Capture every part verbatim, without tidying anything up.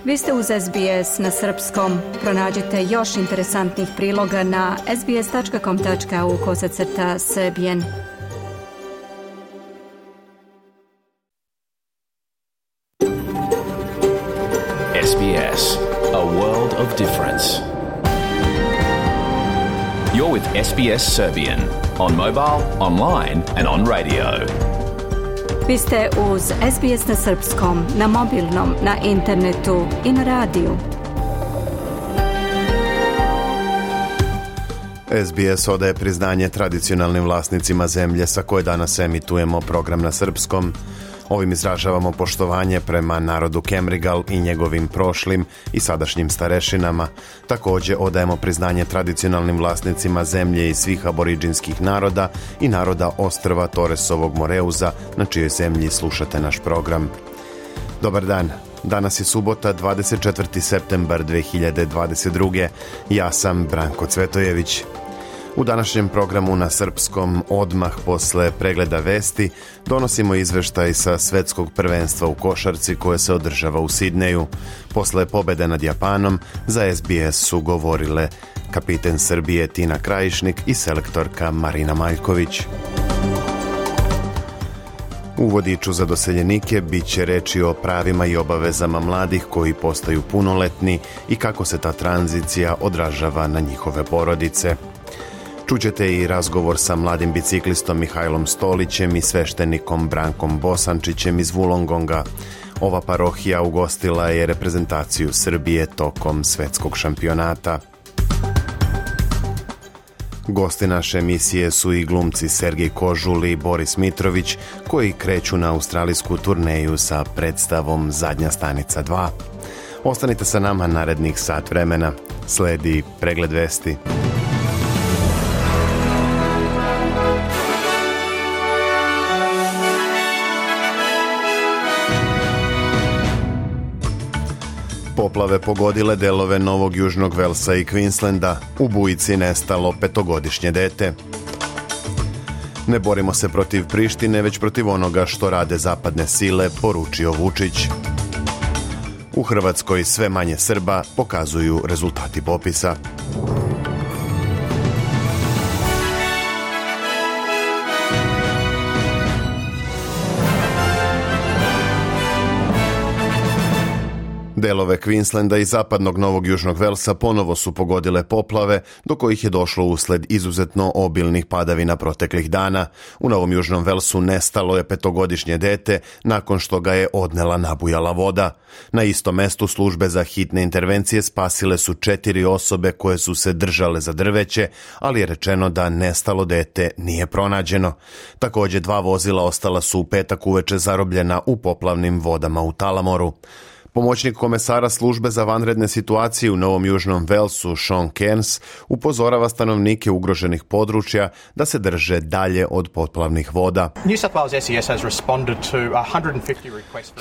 Vi ste uz S B S na srpskom. Pronađite još interesantnih priloga na sbs.com.au kosacrta srbijen. S B S, a world of difference. You're with S B S Serbian on mobile, online and on radio. Vi ste uz S B S na srpskom, na mobilnom, na internetu i na radiju. S B S odaje priznanje tradicionalnim vlasnicima zemlje sa koje danas emitujemo program na srpskom. Ovim izražavamo poštovanje prema narodu Kemrigal i njegovim prošlim i sadašnjim starešinama. Također odajemo priznanje tradicionalnim vlasnicima zemlje i svih aboriđinskih naroda i naroda ostrva Toresovog Moreuza, na čijoj zemlji slušate naš program. Dobar dan. Danas je subota, dvadeset četvrti septembar dve hiljade dvadeset druge. Ja sam Branko Cvetojević. U današnjem programu na srpskom, odmah posle pregleda vesti, donosimo izveštaj sa svetskog prvenstva u košarci koje se održava u Sidneju. Posle pobede nad Japanom, za S B S su govorile kapiten Srbije Tina Krajišnik i selektorka Marina Maljković. U vodiču za doseljenike bit će reči o pravima i obavezama mladih koji postaju punoletni i kako se ta tranzicija odražava na njihove porodice. Čućete i razgovor sa mladim biciklistom Mihajlom Stolićem i sveštenikom Brankom Bosančićem iz Wollongonga. Ova parohija ugostila je reprezentaciju Srbije tokom svetskog šampionata. Gosti naše emisije su i glumci Sergej Kožul i Boris Mitrović, koji kreću na australijsku turneju sa predstavom Zadnja stanica dva. Ostanite sa nama narednih sat vremena. Sledi pregled vesti. Poplave pogodile delove Novog Južnog Velsa i Queenslanda. U bujici nestalo petogodišnje dete. Ne borimo se protiv Prištine, već protiv onoga što rade zapadne sile, poručio Vučić. U Hrvatskoj sve manje Srba, pokazuju rezultati popisa. Delove Queenslanda i zapadnog Novog Južnog Velsa ponovo su pogodile poplave, do kojih je došlo usled izuzetno obilnih padavina proteklih dana. U Novom Južnom Velsu nestalo je petogodišnje dete nakon što ga je odnela nabujala voda. Na istom mestu službe za hitne intervencije spasile su četiri osobe koje su se držale za drveće, ali je rečeno da nestalo dete nije pronađeno. Također dva vozila ostala su u petak uveče zarobljena u poplavnim vodama u Talamoru. Pomoćnik komesara službe za vanredne situacije u Novom Južnom Velsu, Sean Cairns, upozorava stanovnike ugroženih područja da se drže dalje od poplavnih voda.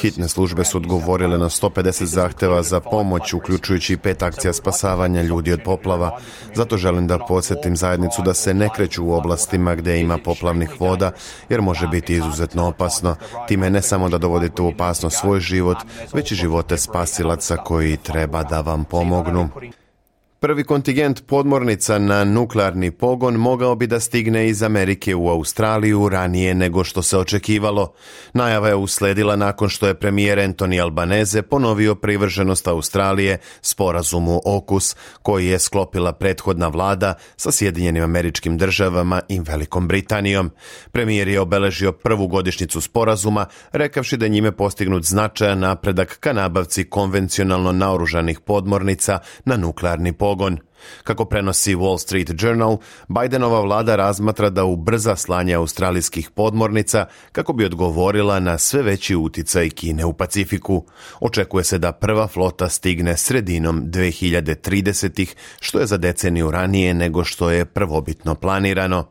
Hitne službe su odgovorile na sto pedeset zahteva za pomoć, uključujući pet akcija spasavanja ljudi od poplava. Zato želim da podsjetim zajednicu da se ne kreću u oblastima gdje ima poplavnih voda, jer može biti izuzetno opasno. Time ne samo da dovodite u opasnost svoj život, već i život te spasilaca koji treba da vam pomognu. Prvi kontingent podmornica na nuklearni pogon mogao bi da stigne iz Amerike u Australiju ranije nego što se očekivalo. Najava je usledila nakon što je premijer Anthony Albanese ponovio privrženost Australije sporazumu AUKUS, koji je sklopila prethodna vlada sa Sjedinjenim Američkim Državama i Velikom Britanijom. Premijer je obeležio prvu godišnjicu sporazuma, rekavši da njime postignut značajan napredak ka nabavci konvencionalno naoružanih podmornica na nuklearni pogon. Kako prenosi Wall Street Journal, Bidenova vlada razmatra da ubrza slanje australijskih podmornica kako bi odgovorila na sve veći uticaj Kine u Pacifiku. Očekuje se da prva flota stigne sredinom dve hiljade tridesetih, što je za deceniju ranije nego što je prvobitno planirano.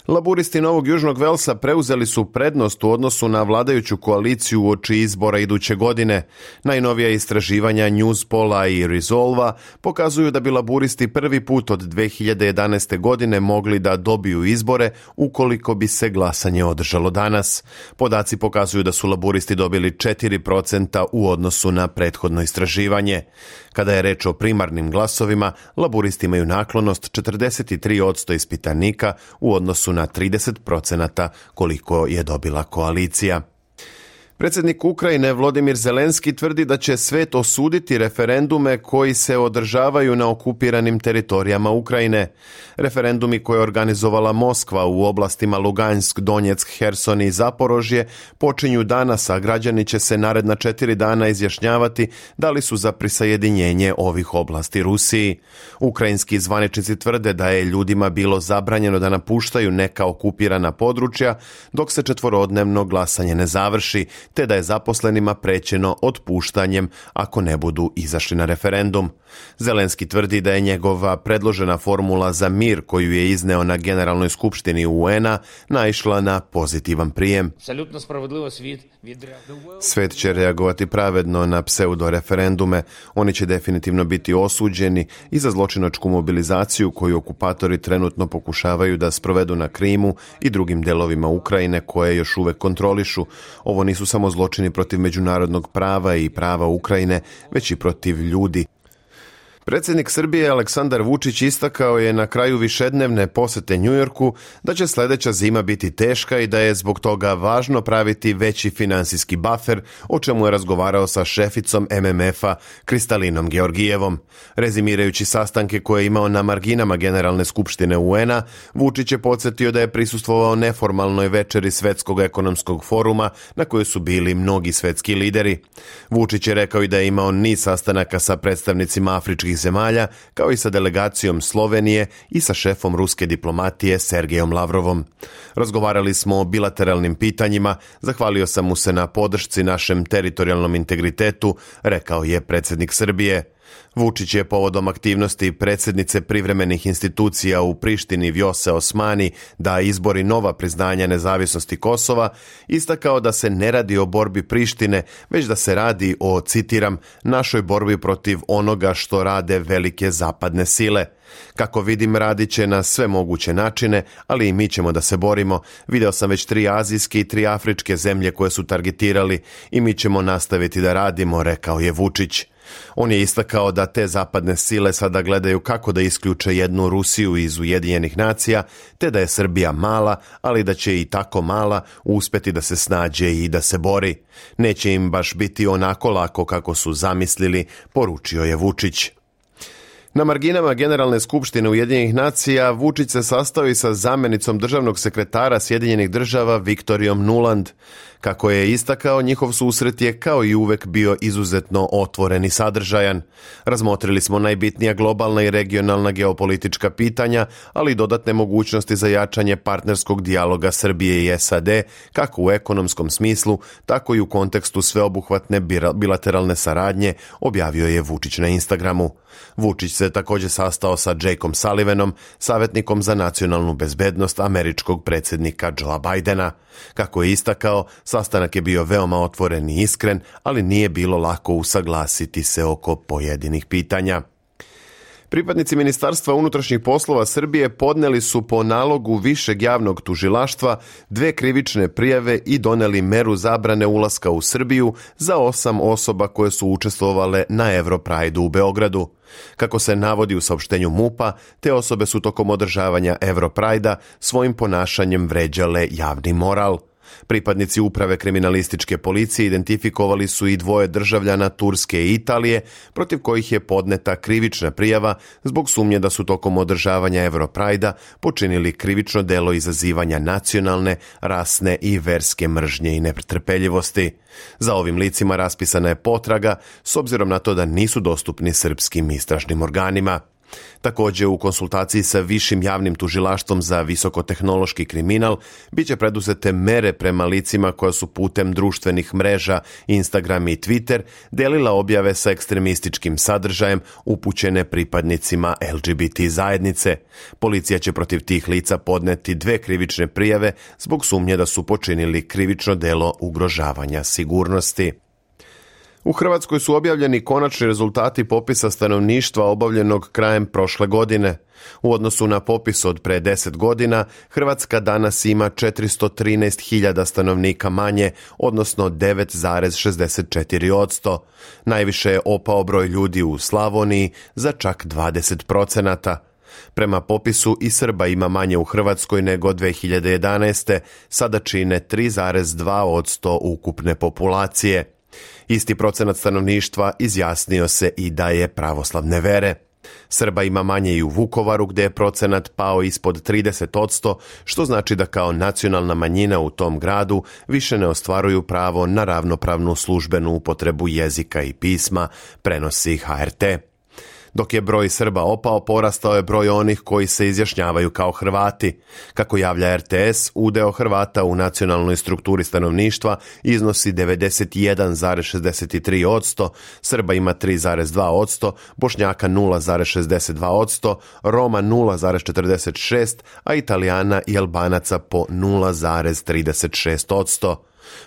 Laburisti Novog Južnog Velsa preuzeli su prednost u odnosu na vladajuću koaliciju uoči izbora iduće godine. Najnovija istraživanja Newspolla i Resolva pokazuju da bi laburisti prvi put od dve hiljade jedanaeste. godine mogli da dobiju izbore ukoliko bi se glasanje održalo danas. Podaci pokazuju da su laburisti dobili četiri procenta u odnosu na prethodno istraživanje. Kada je reč o primarnim glasovima, laburisti imaju naklonost četrdeset tri posto ispitanika u odnosu na trideset procenata koliko je dobila koalicija. Predsjednik Ukrajine Volodymyr Zelenski tvrdi da će svet osuditi referendume koji se održavaju na okupiranim teritorijama Ukrajine. Referendumi koje je organizovala Moskva u oblastima Lugansk, Donjeck, Herson i Zaporožje počinju danas, a građani će se naredna četiri dana izjašnjavati da li su za prisajedinjenje ovih oblasti Rusiji. Ukrajinski zvaničnici tvrde da je ljudima bilo zabranjeno da napuštaju neka okupirana područja dok se četvorodnevno glasanje ne završi, te da je zaposlenima prećeno otpuštanjem ako ne budu izašli na referendum. Zelenski tvrdi da je njegova predložena formula za mir koju je izneo na Generalnoj skupštini U N-a naišla na pozitivan prijem. Svet će reagovati pravedno na pseudo-referendume. Oni će definitivno biti osuđeni i za zločinačku mobilizaciju koju okupatori trenutno pokušavaju da sprovedu na Krimu i drugim delovima Ukrajine koje još uvek kontrolišu. Ovo nisu samo zločini protiv međunarodnog prava i prava Ukrajine, već i protiv ljudi. Predsjednik Srbije Aleksandar Vučić istakao je na kraju višednevne posete Njujorku da će sljedeća zima biti teška i da je zbog toga važno praviti veći finansijski bafer, o čemu je razgovarao sa šeficom M M F-a Kristalinom Georgijevom. Rezimirajući sastanke koje je imao na marginama Generalne skupštine U N-a, Vučić je podsjetio da je prisustvovao neformalnoj večeri Svetskog ekonomskog foruma na kojoj su bili mnogi svetski lideri. Vučić je rekao i da je imao niz sastanaka sa predstavnicima afričkih zemalja, kao i sa delegacijom Slovenije i sa šefom ruske diplomatije Sergejom Lavrovom. Razgovarali smo o bilateralnim pitanjima, zahvalio sam mu se na podršci našem teritorijalnom integritetu, rekao je predsjednik Srbije. Vučić je povodom aktivnosti predsjednice privremenih institucija u Prištini Vjose Osmani da izbori nova priznanja nezavisnosti Kosova istakao da se ne radi o borbi Prištine, već da se radi o, citiram, našoj borbi protiv onoga što rade velike zapadne sile. Kako vidim, radit će na sve moguće načine, ali i mi ćemo da se borimo. Video sam već tri azijske i tri afričke zemlje koje su targetirali i mi ćemo nastaviti da radimo, rekao je Vučić. On je istakao da te zapadne sile sada gledaju kako da isključe jednu Rusiju iz Ujedinjenih nacija, te da je Srbija mala, ali da će i tako mala uspjeti da se snađe i da se bori. Neće im baš biti onako lako kako su zamislili, poručio je Vučić. Na marginama Generalne skupštine Ujedinjenih nacija Vučić se sastao i sa zamjenicom državnog sekretara Sjedinjenih država Viktorijom Nuland. Kako je istakao, njihov susret je kao i uvek bio izuzetno otvoren i sadržajan. Razmotrili smo najbitnija globalna i regionalna geopolitička pitanja, ali i dodatne mogućnosti za jačanje partnerskog dijaloga Srbije i S A D, kako u ekonomskom smislu, tako i u kontekstu sveobuhvatne bilateralne saradnje, objavio je Vučić na Instagramu. Vučić se također sastao sa Jakeom Sullivanom, savjetnikom za nacionalnu bezbednost američkog predsjednika Joea Bidena. Kako je istakao, sastanak je bio veoma otvoren i iskren, ali nije bilo lako usaglasiti se oko pojedinih pitanja. Pripadnici Ministarstva unutrašnjih poslova Srbije podneli su po nalogu Višeg javnog tužilaštva dve krivične prijave i doneli meru zabrane ulaska u Srbiju za osam osoba koje su učestvovale na Europride u Beogradu. Kako se navodi u saopštenju MUP-a, te osobe su tokom održavanja Europride-a svojim ponašanjem vređale javni moral. Pripadnici uprave kriminalističke policije identifikovali su i dvoje državljana Turske i Italije, protiv kojih je podneta krivična prijava zbog sumnje da su tokom održavanja Europride-a počinili krivično delo izazivanja nacionalne, rasne i verske mržnje i netrpeljivosti. Za ovim licima raspisana je potraga s obzirom na to da nisu dostupni srpskim istražnim organima. Također, u konsultaciji sa Višim javnim tužilaštvom za visokotehnološki kriminal biće preduzete mere prema licima koja su putem društvenih mreža Instagram i Twitter delila objave sa ekstremističkim sadržajem upućene pripadnicima L G B T zajednice. Policija će protiv tih lica podneti dve krivične prijave zbog sumnje da su počinili krivično delo ugrožavanja sigurnosti. U Hrvatskoj su objavljeni konačni rezultati popisa stanovništva obavljenog krajem prošle godine. U odnosu na popis od pre deset godina, Hrvatska danas ima četiristo trinaest hiljada stanovnika manje, odnosno devet zarez šezdeset četiri posto. Najviše je opao broj ljudi u Slavoniji za čak dvadeset procenata. Prema popisu i Srba ima manje u Hrvatskoj nego dve hiljade jedanaeste. Sada čine tri zarez dva posto ukupne populacije. Isti procenat stanovništva izjasnio se i da je pravoslavne vere. Srba ima manje i u Vukovaru gdje je procenat pao ispod trideset posto, što znači da kao nacionalna manjina u tom gradu više ne ostvaruju pravo na ravnopravnu službenu upotrebu jezika i pisma, prenosi H R T. Dok je broj Srba opao, porastao je broj onih koji se izjašnjavaju kao Hrvati. Kako javlja R T S, udeo Hrvata u nacionalnoj strukturi stanovništva iznosi devedeset jedan zarez šezdeset tri posto, Srba ima tri zarez dva posto, Bošnjaka nula zarez šezdeset dva posto, Roma nula zarez četrdeset šest posto, a Italijana i Albanaca po nula zarez trideset šest posto.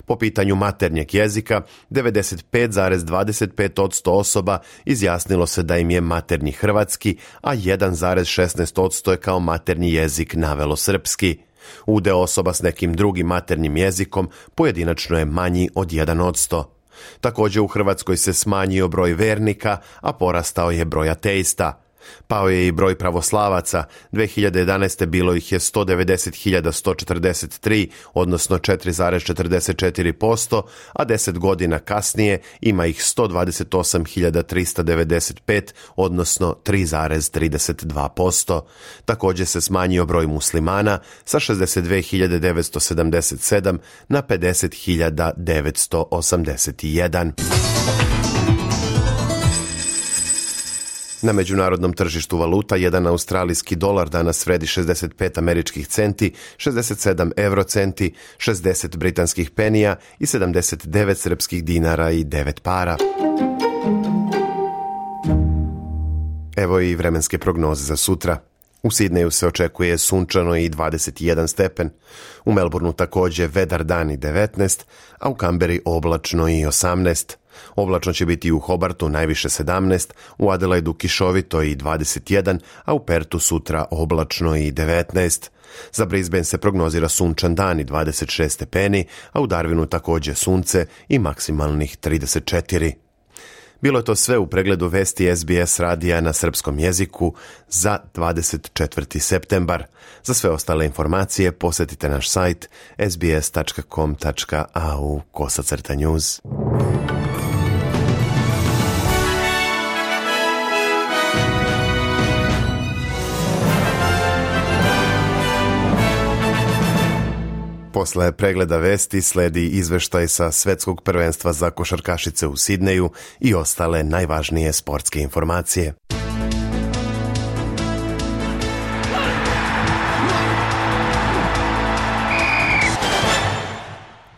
Po pitanju maternjeg jezika, devedeset pet zarez dvadeset pet posto osoba izjasnilo se da im je maternji hrvatski, a jedan zarez šesnaest posto je kao maternji jezik navelo srpski. Udeo osoba s nekim drugim maternjim jezikom pojedinačno je manji od jedan posto. Također u Hrvatskoj se smanjio broj vernika, a porastao je broj ateista. Pao je i broj pravoslavaca, dve hiljade jedanaeste. bilo ih je sto devedeset hiljada sto četrdeset tri, odnosno četiri zarez četrdeset četiri posto, a deset godina kasnije ima ih sto dvadeset osam hiljada tristo devedeset pet, odnosno tri zarez trideset dva posto. Također se smanjio broj muslimana sa šezdeset dve hiljade devetsto sedamdeset sedam na pedeset hiljada devetsto osamdeset jedan. Na međunarodnom tržištu valuta jedan australijski dolar danas vredi šezdeset pet američkih centi, šezdeset sedam eurocenti, šezdeset britanskih penija i sedamdeset devet srpskih dinara i devet para. Evo i vremenske prognoze za sutra. U Sidneju se očekuje sunčano i dvadeset jedan stepen, u Melbourneu također vedar dan i devetnaest, a u Kamberi oblačno i osamnaest. Oblačno će biti u Hobartu najviše sedamnaest, u Adelaidu kišovito i dvadeset jedan, a u Pertu sutra oblačno i devetnaest. Za Brisbane se prognozira sunčan dan i dvadeset šest stepeni, a u Darwinu također sunce i maksimalnih trideset četiri. Bilo je to sve u pregledu vesti S B S radija na srpskom jeziku za dvadeset četvrti septembar. Za sve ostale informacije posjetite naš sajt s b s tačka com tačka a u kosacrta news. Posle pregleda vesti sledi izveštaj sa Svetskog prvenstva za košarkašice u Sidneju i ostale najvažnije sportske informacije.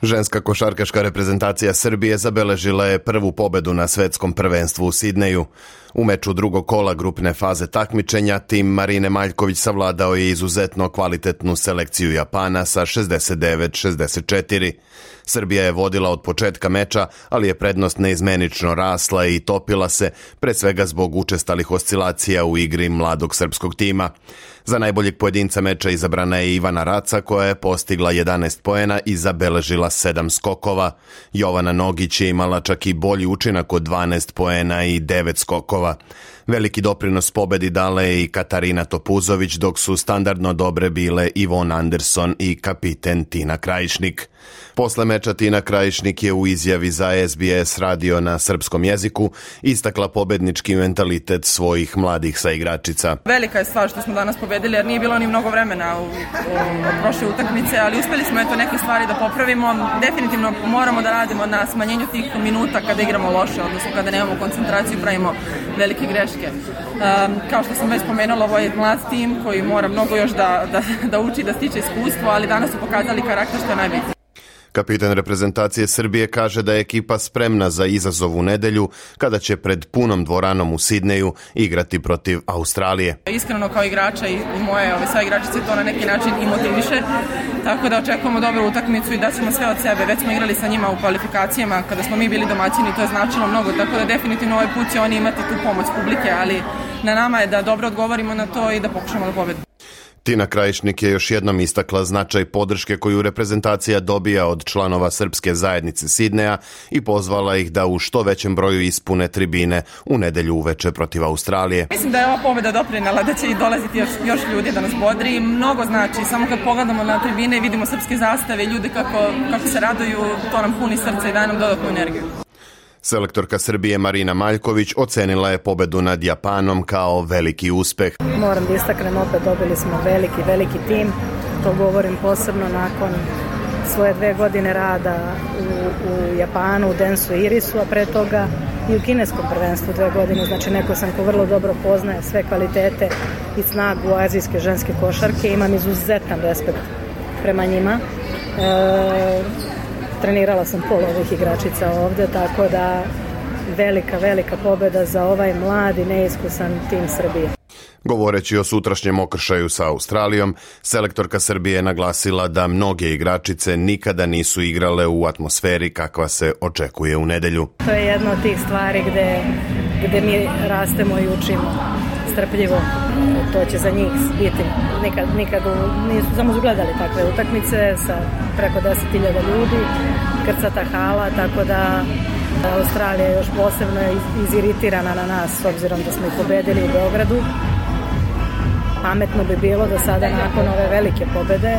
Ženska košarkaška reprezentacija Srbije zabeležila je prvu pobedu na Svetskom prvenstvu u Sidneju. U meču drugog kola grupne faze takmičenja tim Marine Maljković savladao je izuzetno kvalitetnu selekciju Japana sa šezdeset devet šezdeset četiri. Srbija je vodila od početka meča, ali je prednost neizmenično rasla i topila se, pre svega zbog učestalih oscilacija u igri mladog srpskog tima. Za najboljeg pojedinca meča izabrana je Ivana Raca, koja je postigla jedanaest poena i zabeležila sedam skokova. Jovana Nogić je imala čak i bolji učinak od dvanaest poena i devet skokova. Veliki doprinos pobedi dala je i Katarina Topuzović, dok su standardno dobre bile Ivon Anderson i kapiten Tina Krajišnik. Posle meča Tina Krajišnik je u izjavi za S B S radio na srpskom jeziku istakla pobednički mentalitet svojih mladih saigračica. Velika je stvar što smo danas pobedili jer nije bilo ni mnogo vremena u, u, u prošle utakmice, ali uspeli smo eto neke stvari da popravimo. Definitivno moramo da radimo na smanjenju tih minuta kada igramo loše, odnosno kada nemamo koncentraciju, pravimo velike greške. Um, kao što sam već spomenula, ovo je mlad tim koji mora mnogo još da, da, da uči, da stiče iskustvo, ali danas su pokazali karakter što je najbitnije. Kapitan reprezentacije Srbije kaže da je ekipa spremna za izazov u nedelju kada će pred punom dvoranom u Sidneju igrati protiv Australije. Iskreno kao igrača i moje ove saigračice to na neki način i motiviše, tako da očekujemo dobru utakmicu i da ćemo sve od sebe. Već smo igrali sa njima u kvalifikacijama kada smo mi bili domaćini, to je značilo mnogo, tako da definitivno ovaj put će oni imati tu pomoć publike, ali na nama je da dobro odgovorimo na to i da pokušamo da pobedimo. Tina Krajišnik je još jednom istakla značaj podrške koju reprezentacija dobija od članova srpske zajednice Sidneja i pozvala ih da u što većem broju ispune tribine u nedelju uveče protiv Australije. Mislim da je ova pobeda doprinela da će i dolaziti još, još ljudi da nas bodri. Mnogo znači, samo kad pogledamo na tribine i vidimo srpske zastave, ljude kako, kako se raduju, to nam puni srce i daje nam dodatnu energiju. Selektorka Srbije Marina Maljković ocenila je pobedu nad Japanom kao veliki uspeh. Moram da istaknem opet, dobili smo veliki, veliki tim. To govorim posebno nakon svoje dve godine rada u, u Japanu, u Densu i Irisu, a pre toga i u kineskom prvenstvu dve godine. Znači neko sam ko vrlo dobro poznaje sve kvalitete i snagu azijske ženske košarke. Imam izuzetan respekt prema njima. E, Trenirala sam pola ovih igračica ovde, tako da velika, velika pobeda za ovaj mladi, neiskusan tim Srbije. Govoreći o sutrašnjem okršaju sa Australijom, selektorka Srbije je naglasila da mnoge igračice nikada nisu igrale u atmosferi kakva se očekuje u nedelju. To je jedna od tih stvari gde, gde mi rastemo i učimo strpljivo. To će za njih biti. Nikad, nikad nisu samo gledali takve utakmice sa preko deset hiljada ljudi, krcata hala, tako da Australija je još posebno iziritirana na nas s obzirom da smo ih pobedili u Beogradu. Pametno bi bilo da sada nakon ove velike pobede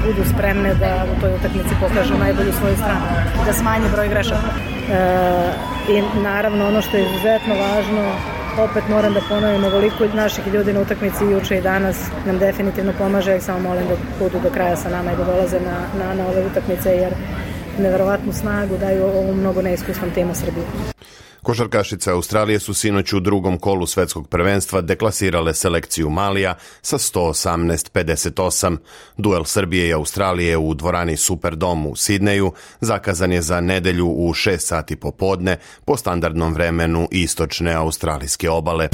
budu spremne da u toj utakmici pokažu najbolju svoju stranu, da smanje broj grešaka. E, I naravno ono što je izuzetno važno, opet moram da ponovim, ovoliko naših ljudi na utakmici juče i danas nam definitivno pomaže, ja samo molim da budu do kraja sa nama i da dolaze na, na, na ove utakmice, jer neverovatnu snagu daju ovom mnogo neiskusnom timu Srbije. Košarkašice Australije su sinoć u drugom kolu svetskog prvenstva deklasirale selekciju Malija sa sto osamnaest pedeset osam. Duel Srbije i Australije u dvorani Superdom u Sidneju zakazan je za nedelju u šest sati popodne po standardnom vremenu istočne australijske obale.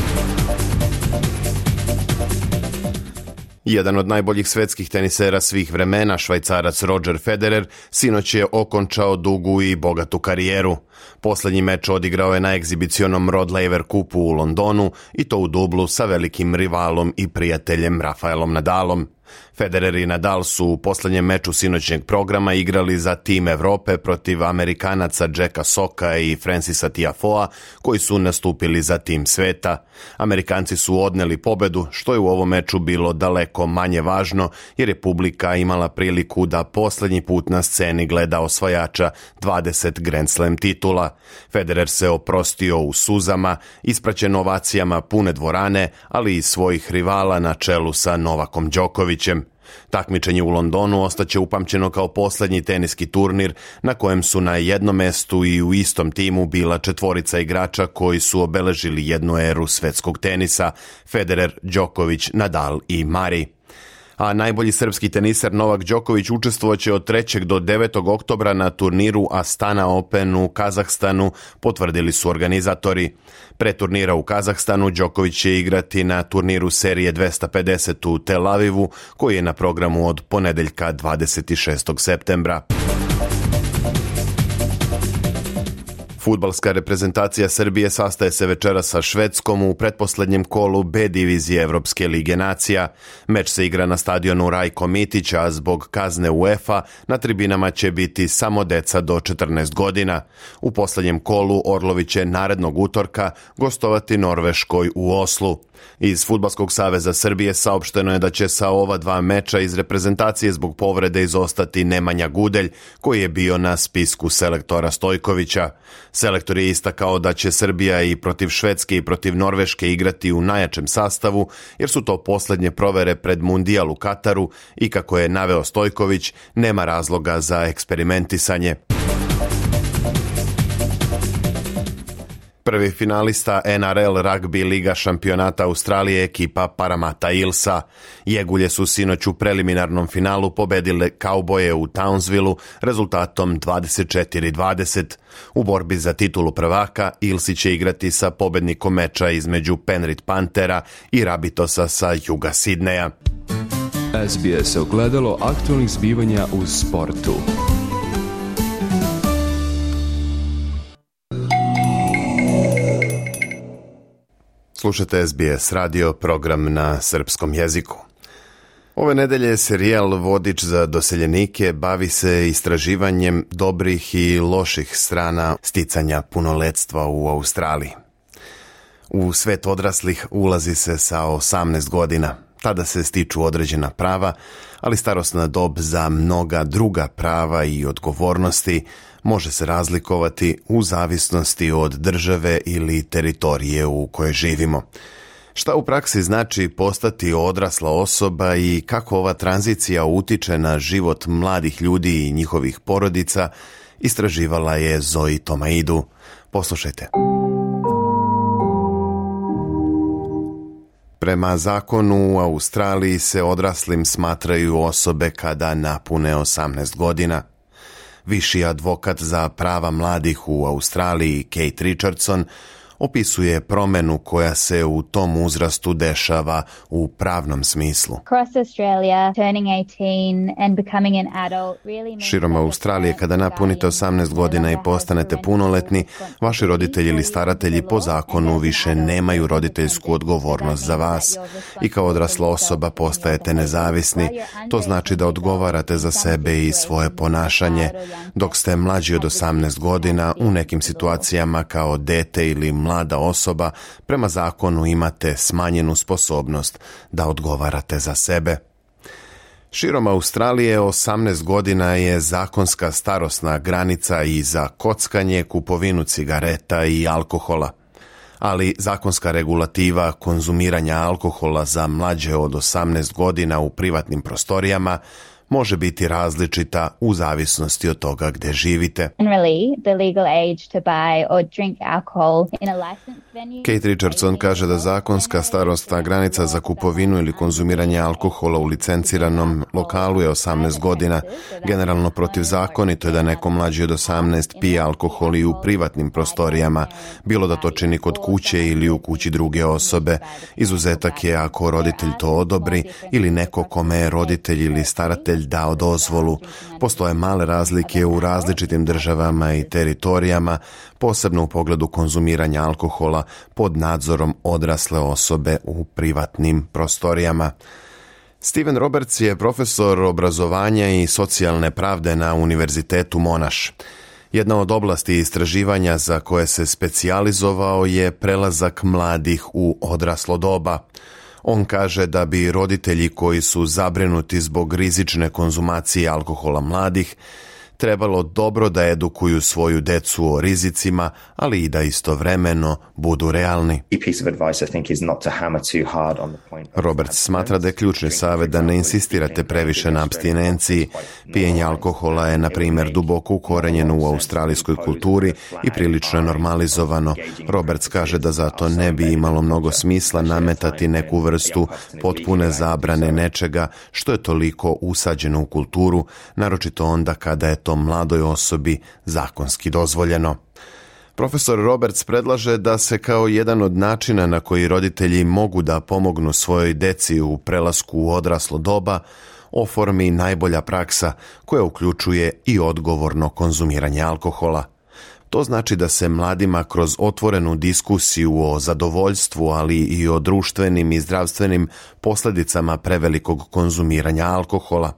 Jedan od najboljih svetskih tenisera svih vremena, Švajcarac Roger Federer, sinoć je okončao dugu i bogatu karijeru. Poslednji meč odigrao je na egzibicionom Rod Laver kupu u Londonu i to u dublu sa velikim rivalom i prijateljem Rafaelom Nadalom. Federer i Nadal su u poslednjem meču sinoćnjeg programa igrali za tim Evrope protiv Amerikanaca Jacka Socka i Francisa Tiafoea, koji su nastupili za tim sveta. Amerikanci su odneli pobedu, što je u ovom meču bilo daleko manje važno, jer je publika imala priliku da poslednji put na sceni gleda osvajača dvadeset Grand Slam titula. Federer se oprostio u suzama, ispraćen ovacijama pune dvorane, ali i svojih rivala na čelu sa Novakom Đokovićem. Takmičenje u Londonu ostaće upamćeno kao poslednji teniski turnir na kojem su na jednom mestu i u istom timu bila četvorica igrača koji su obeležili jednu eru svetskog tenisa: Federer, Đoković, Nadal i Murray. A najbolji srpski teniser Novak Đoković učestvovaće od trećeg do devetog oktobra na turniru Astana Open u Kazahstanu, potvrdili su organizatori. Pre turnira u Kazahstanu Đoković će igrati na turniru serije dvesta pedeset u Tel Avivu, koji je na programu od ponedeljka dvadeset šestog septembra. Fudbalska reprezentacija Srbije sastaje se večeras sa Švedskom u pretposlednjem kolu B divizije Evropske lige nacija. Meč se igra na stadionu Rajko Mitić, a zbog kazne UEFA na tribinama će biti samo deca do četrnaest godina. U poslednjem kolu Orlovi će narednog utorka gostovati Norveškoj u Oslu. Iz Fudbalskog saveza Srbije saopšteno je da će sa ova dva meča iz reprezentacije zbog povrede izostati Nemanja Gudelj, koji je bio na spisku selektora Stojkovića. Selektor je istakao da će Srbija i protiv Švedske i protiv Norveške igrati u najjačem sastavu, jer su to posljednje provere pred Mundijal u Kataru i, kako je naveo Stojković, nema razloga za eksperimentisanje. Prvi finalista N R L Rugby Liga šampionata Australije, ekipa Parramatta Eelsa. Jegulje su sinoć u preliminarnom finalu pobedile Kauboje u Townsvilleu rezultatom dvadeset četiri dvadeset. U borbi za titulu prvaka Eelsi će igrati sa pobednikom meča između Penrith Panthera i Rabitosa sa juga Sidneja. S B S ogledalo aktualnih zbivanja u sportu. Slušate S B S radio, program na srpskom jeziku. Ove nedelje serijal Vodič za doseljenike bavi se istraživanjem dobrih i loših strana sticanja punoletstva u Australiji. U svet odraslih ulazi se sa osamnaest godina. Tada se stiču određena prava, ali starosna dob za mnoga druga prava i odgovornosti može se razlikovati u zavisnosti od države ili teritorije u kojoj živimo. Šta u praksi znači postati odrasla osoba i kako ova tranzicija utiče na život mladih ljudi i njihovih porodica, istraživala je Zoe Tomaidu. Poslušajte. Prema zakonu u Australiji se odraslim smatraju osobe kada napune osamnaest godina. Viši advokat za prava mladih u Australiji, Kate Richardson, opisuje promenu koja se u tom uzrastu dešava u pravnom smislu. Širom Australije, kada napunite osamnaest godina i postanete punoletni, vaši roditelji ili staratelji po zakonu više nemaju roditeljsku odgovornost za vas i kao odrasla osoba postajete nezavisni. To znači da odgovarate za sebe i svoje ponašanje. Dok ste mlađi od osamnaest godina, u nekim situacijama kao dete ili mlada osoba, prema zakonu imate smanjenu sposobnost da odgovarate za sebe. Širom Australije osamnaest godina je zakonska starosna granica i za kockanje, kupovinu cigareta i alkohola. Ali zakonska regulativa konzumiranja alkohola za mlađe od osamnaest godina u privatnim prostorijama može biti različita u zavisnosti od toga gdje živite. Kate Richardson kaže da zakonska starosna granica za kupovinu ili konzumiranje alkohola u licenciranom lokalu je osamnaest godina. Generalno protivzakonito je da neko mlađi od osamnaest pije alkohol i u privatnim prostorijama, bilo da to čini kod kuće ili u kući druge osobe. Izuzetak je ako roditelj to odobri ili neko kome je roditelj ili staratelj dao dozvolu. Postoje male razlike u različitim državama i teritorijama, posebno u pogledu konzumiranja alkohola pod nadzorom odrasle osobe u privatnim prostorijama. Steven Roberts je profesor obrazovanja i socijalne pravde na Univerzitetu Monash. Jedna od oblasti istraživanja za koje se specijalizovao je prelazak mladih u odraslo doba. On kaže da bi roditelji koji su zabrinuti zbog rizične konzumacije alkohola mladih trebalo dobro da edukuju svoju decu o rizicima, ali i da istovremeno budu realni. Roberts smatra da je ključni savjet da ne insistirate previše na apstinenciji. Pijenje alkohola je, na primjer, duboko ukorenjeno u australijskoj kulturi i prilično je normalizovano. Roberts kaže da zato ne bi imalo mnogo smisla nametati neku vrstu potpune zabrane nečega što je toliko usađeno u kulturu, naročito onda kada je to mladoj osobi zakonski dozvoljeno. Profesor Roberts predlaže da se kao jedan od načina na koji roditelji mogu da pomognu svojoj deci u prelasku u odraslo doba oformi najbolja praksa koja uključuje i odgovorno konzumiranje alkohola. To znači da se mladima kroz otvorenu diskusiju o zadovoljstvu, ali i o društvenim i zdravstvenim posljedicama prevelikog konzumiranja alkohola.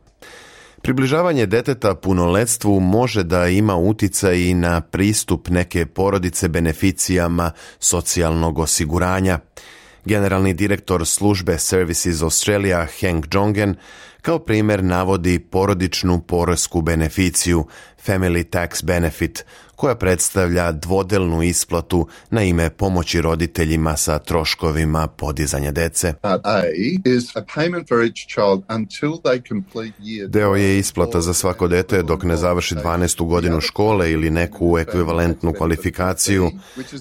Približavanje deteta punoletstvu može da ima uticaj i na pristup neke porodice beneficijama socijalnog osiguranja. Generalni direktor službe Services Australia Hank Jongen kao primjer navodi porodičnu poresku beneficiju Family Tax Benefit, koja predstavlja dvodelnu isplatu na ime pomoći roditeljima sa troškovima podizanja dece. Deo je isplata za svako dete dok ne završi dvanaestu godinu škole ili neku ekvivalentnu kvalifikaciju.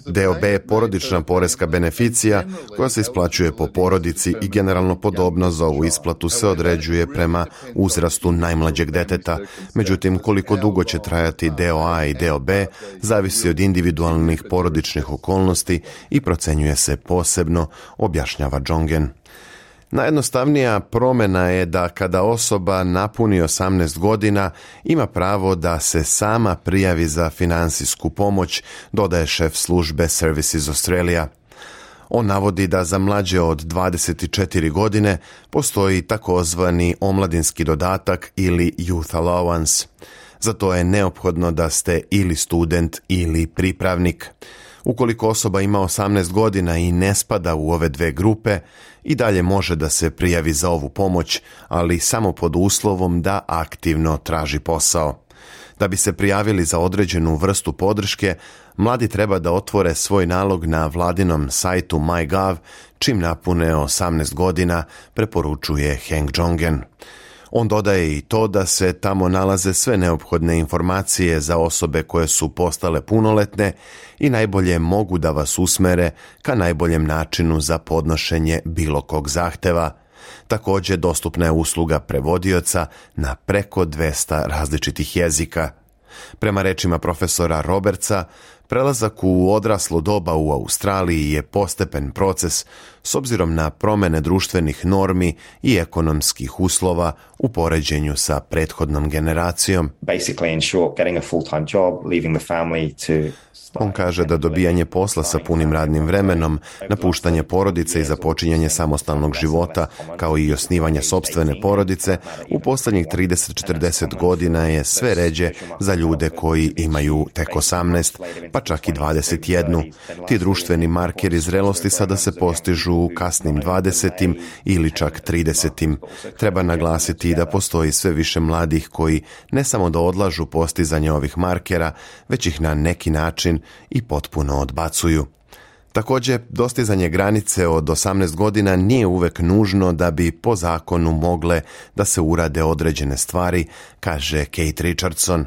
Deo B je porodična poreska beneficija koja se isplaćuje po porodici i generalno podobno za ovu isplatu se određuje prema uzrastu najmlađeg deteta. Međutim, koliko dugo će trajati deo A i deo B zavisi od individualnih porodičnih okolnosti i procenjuje se posebno, objašnjava Jongen. Najjednostavnija promjena je da kada osoba napuni osamnaest godina ima pravo da se sama prijavi za finansijsku pomoć, dodaje šef službe Services Australia. On navodi da za mlađe od dvadeset četiri godine postoji takozvani omladinski dodatak ili Youth Allowance. Za to je neophodno da ste ili student ili pripravnik. Ukoliko osoba ima osamnaest godina i ne spada u ove dve grupe, i dalje može da se prijavi za ovu pomoć, ali samo pod uslovom da aktivno traži posao. Da bi se prijavili za određenu vrstu podrške, mladi treba da otvore svoj nalog na vladinom sajtu MyGov čim napune osamnaest godina, preporučuje Hank Jongen. On dodaje i to da se tamo nalaze sve neophodne informacije za osobe koje su postale punoletne i najbolje mogu da vas usmere ka najboljem načinu za podnošenje bilo kog zahteva. Također dostupna je usluga prevodioca na preko dvesta različitih jezika. Prema rečima profesora Robertsa, prelazak u odraslo doba u Australiji je postepen proces s obzirom na promjene društvenih normi i ekonomskih uslova u poređenju sa prethodnom generacijom. On kaže da dobijanje posla sa punim radnim vremenom, napuštanje porodice i započinjanje samostalnog života, kao i osnivanje sopstvene porodice, u posljednjih trideset do četrdeset godina je sve ređe za ljude koji imaju tek osamnaest, pa čak i dvadeset jedan. Ti društveni markeri zrelosti sada se postižu u kasnim dvadesetim ili čak tridesetim. Treba naglasiti da postoji sve više mladih koji ne samo da odlažu postizanje ovih markera, već ih na neki način i potpuno odbacuju. Također, dostizanje granice od osamnaest godina nije uvek nužno da bi po zakonu mogle da se urade određene stvari, kaže Kate Richardson.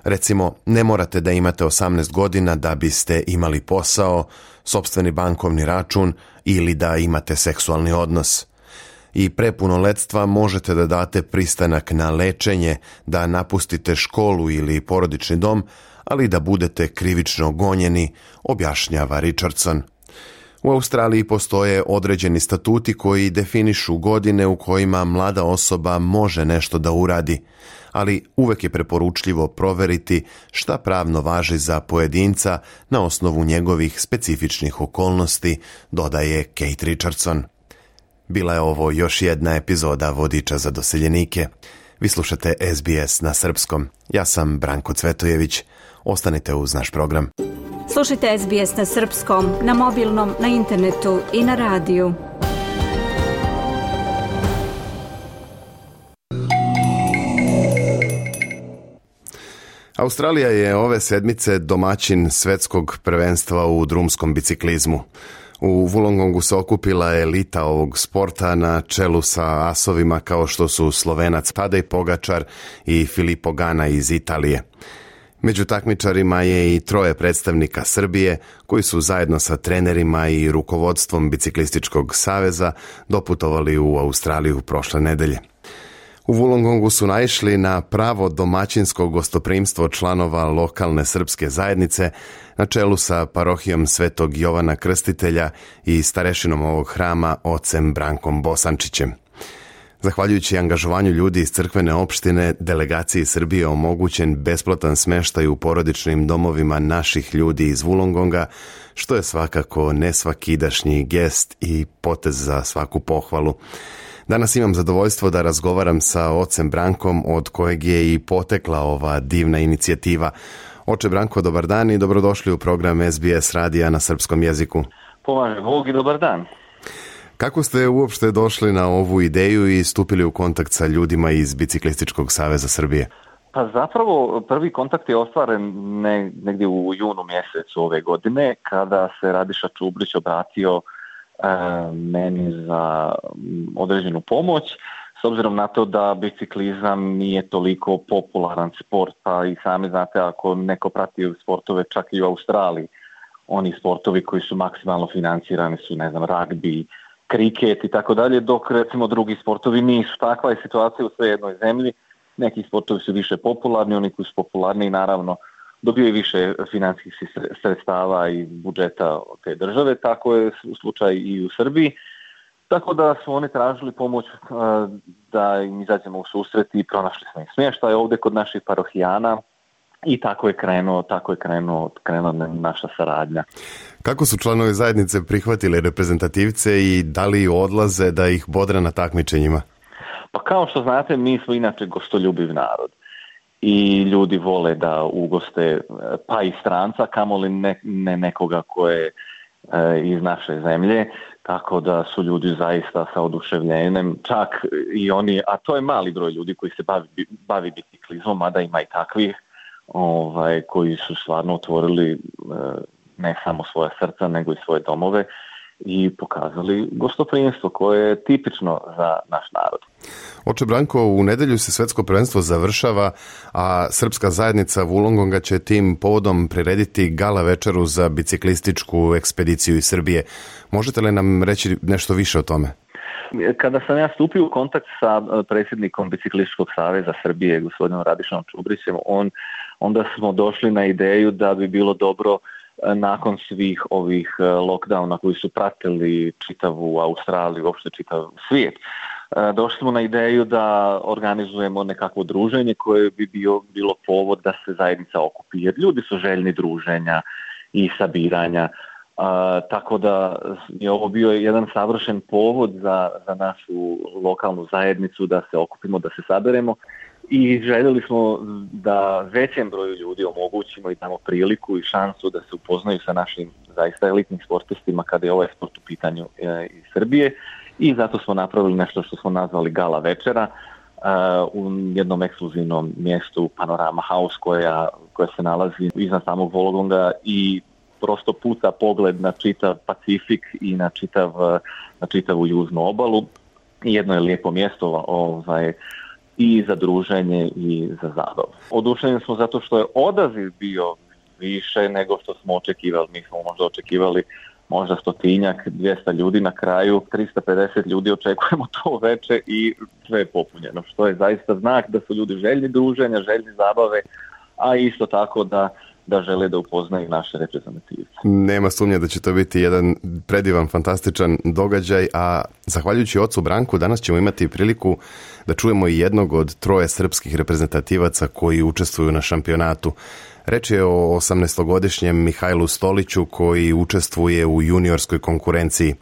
Recimo, ne morate da imate osamnaest godina da biste imali posao, sopstveni bankovni račun ili da imate seksualni odnos. I pre punoletstva možete da date pristanak na lečenje, da napustite školu ili porodični dom, ali da budete krivično gonjeni, objašnjava Richardson. U Australiji postoje određeni statuti koji definišu godine u kojima mlada osoba može nešto da uradi, ali uvek je preporučljivo proveriti šta pravno važi za pojedinca na osnovu njegovih specifičnih okolnosti, dodaje Kate Richardson. Bila je ovo još jedna epizoda Vodiča za doseljenike. Vi slušate S B S na srpskom. Ja sam Branko Cvetojević. Ostanite uz naš program. Slušajte S B S na srpskom, na mobilnom, na internetu i na radiju. Australija je ove sedmice domaćin svetskog prvenstva u drumskom biciklizmu. U Wollongongu se okupila elita ovog sporta na čelu sa asovima kao što su Slovenac Tadej Pogačar i Filippo Ganna iz Italije. Među takmičarima je i troje predstavnika Srbije koji su zajedno sa trenerima i rukovodstvom Biciklističkog saveza doputovali u Australiju prošle nedelje. U Wollongongu su naišli na pravo domaćinsko gostoprimstvo članova lokalne srpske zajednice na čelu sa parohijom Svetog Jovana Krstitelja i starešinom ovog hrama ocem Brankom Bosančićem. Zahvaljujući angažovanju ljudi iz crkvene opštine, delegaciji Srbije omogućen besplatan smeštaj u porodičnim domovima naših ljudi iz Wollongonga, što je svakako nesvakidašnji gest i potez za svaku pohvalu. Danas imam zadovoljstvo da razgovaram sa ocem Brankom, od kojeg je i potekla ova divna inicijativa. Oče Branko, dobar dan i dobrodošli u program S B S radija na srpskom jeziku. Pomaže Bog i dobar dan. Kako ste uopšte došli na ovu ideju i stupili u kontakt sa ljudima iz Biciklističkog saveza Srbije? Pa zapravo prvi kontakt je ostvaren ne, negdje u junu mjesecu ove godine, kada se Radiša Čubrić obratio e, meni za određenu pomoć, s obzirom na to da biciklizam nije toliko popularan sport, pa i sami znate, ako neko prati sportove čak i u Australiji, oni sportovi koji su maksimalno financirani su, ne znam, ragbi, kriket i tako dalje, dok recimo drugi sportovi nisu. Takva je situacija u sve jednoj zemlji. Neki sportovi su više popularni, oni koji su popularni naravno dobiju više financijskih sredstava iz budžeta te države, tako je slučaj i u Srbiji. Tako da su oni tražili pomoć da im izađemo u susret i pronašli smo im smještaj ovdje kod naših parohijana i tako je krenuo, tako je krenuo, krenula naša saradnja. Kako su članovi zajednice prihvatili reprezentativce i da li odlaze da ih bodre na takmičenjima? Pa kao što znate, mi smo inače gostoljubiv narod i ljudi vole da ugoste pa i stranca, kamoli ne, ne nekoga ko je e, iz naše zemlje, tako da su ljudi zaista sa oduševljenjem, čak i oni, a to je mali broj ljudi koji se bavi, bavi biciklizmom, mada ima i takvih ovaj, koji su stvarno otvorili e, ne samo svoja srca, nego i svoje domove i pokazali gostoprimstvo koje je tipično za naš narod. Oče Branko, u nedjelju se svetsko prvenstvo završava, a srpska zajednica Wollongonga će tim povodom prirediti gala večeru za biciklističku ekspediciju iz Srbije. Možete li nam reći nešto više o tome? Kada sam ja stupio u kontakt sa predsjednikom Biciklističkog saveza Srbije, gospodinom Radišom Čubrićem, on, onda smo došli na ideju da bi bilo dobro nakon svih ovih lockdowna koji su pratili čitavu Australiju, uopšte čitav svijet, došli smo na ideju da organizujemo nekakvo druženje koje bi bio, bilo povod da se zajednica okupi, jer ljudi su željni druženja i sabiranja. Uh, tako da je ovo bio jedan savršen povod za, za našu lokalnu zajednicu da se okupimo, da se saberemo i željeli smo da većem broju ljudi omogućimo i damo priliku i šansu da se upoznaju sa našim zaista elitnim sportistima kada je ovaj sport u pitanju e, iz Srbije i zato smo napravili nešto što smo nazvali gala večera uh, u jednom ekskluzivnom mjestu Panorama House koja, koja se nalazi iznad samog Wollongonga i prosto puca pogled na čitav Pacifik i na, čitav, na čitavu južnu obalu. Jedno je lijepo mjesto ovaj, i za druženje i za zabavu. Oduševljeni smo zato što je odaziv bio više nego što smo očekivali. Mi smo možda očekivali možda stotinjak, dvjesto ljudi, na kraju tristo pedeset ljudi očekujemo to veče i sve je popunjeno, što je zaista znak da su ljudi željni druženja, željni zabave, a isto tako da da žele da upoznaju naše reprezentativce. Nema sumnje da će to biti jedan predivan, fantastičan događaj, a zahvaljujući ocu Branku danas ćemo imati priliku da čujemo i jednog od troje srpskih reprezentativaca koji učestvuju na šampionatu. Reč je o osamnaestogodišnjem Mihajlu Stoliću koji učestvuje u juniorskoj konkurenciji.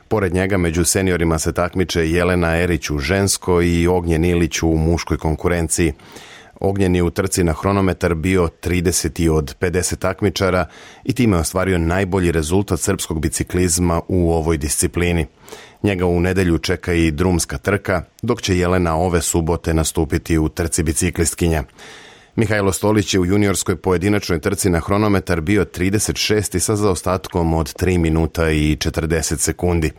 Pored njega među seniorima se takmiče Jelena Erić u ženskoj i Ognjen Ilić u muškoj konkurenciji. Ognjen je u trci na hronometar bio trideseti od pedeset takmičara i time ostvario najbolji rezultat srpskog biciklizma u ovoj disciplini. Njega u nedjelju čeka i drumska trka, dok će Jelena ove subote nastupiti u trci biciklistkinja. Mihajlo Stolić je u juniorskoj pojedinačnoj trci na hronometar bio trideset šesti sa zaostatkom od tri minuta i četrdeset sekundi.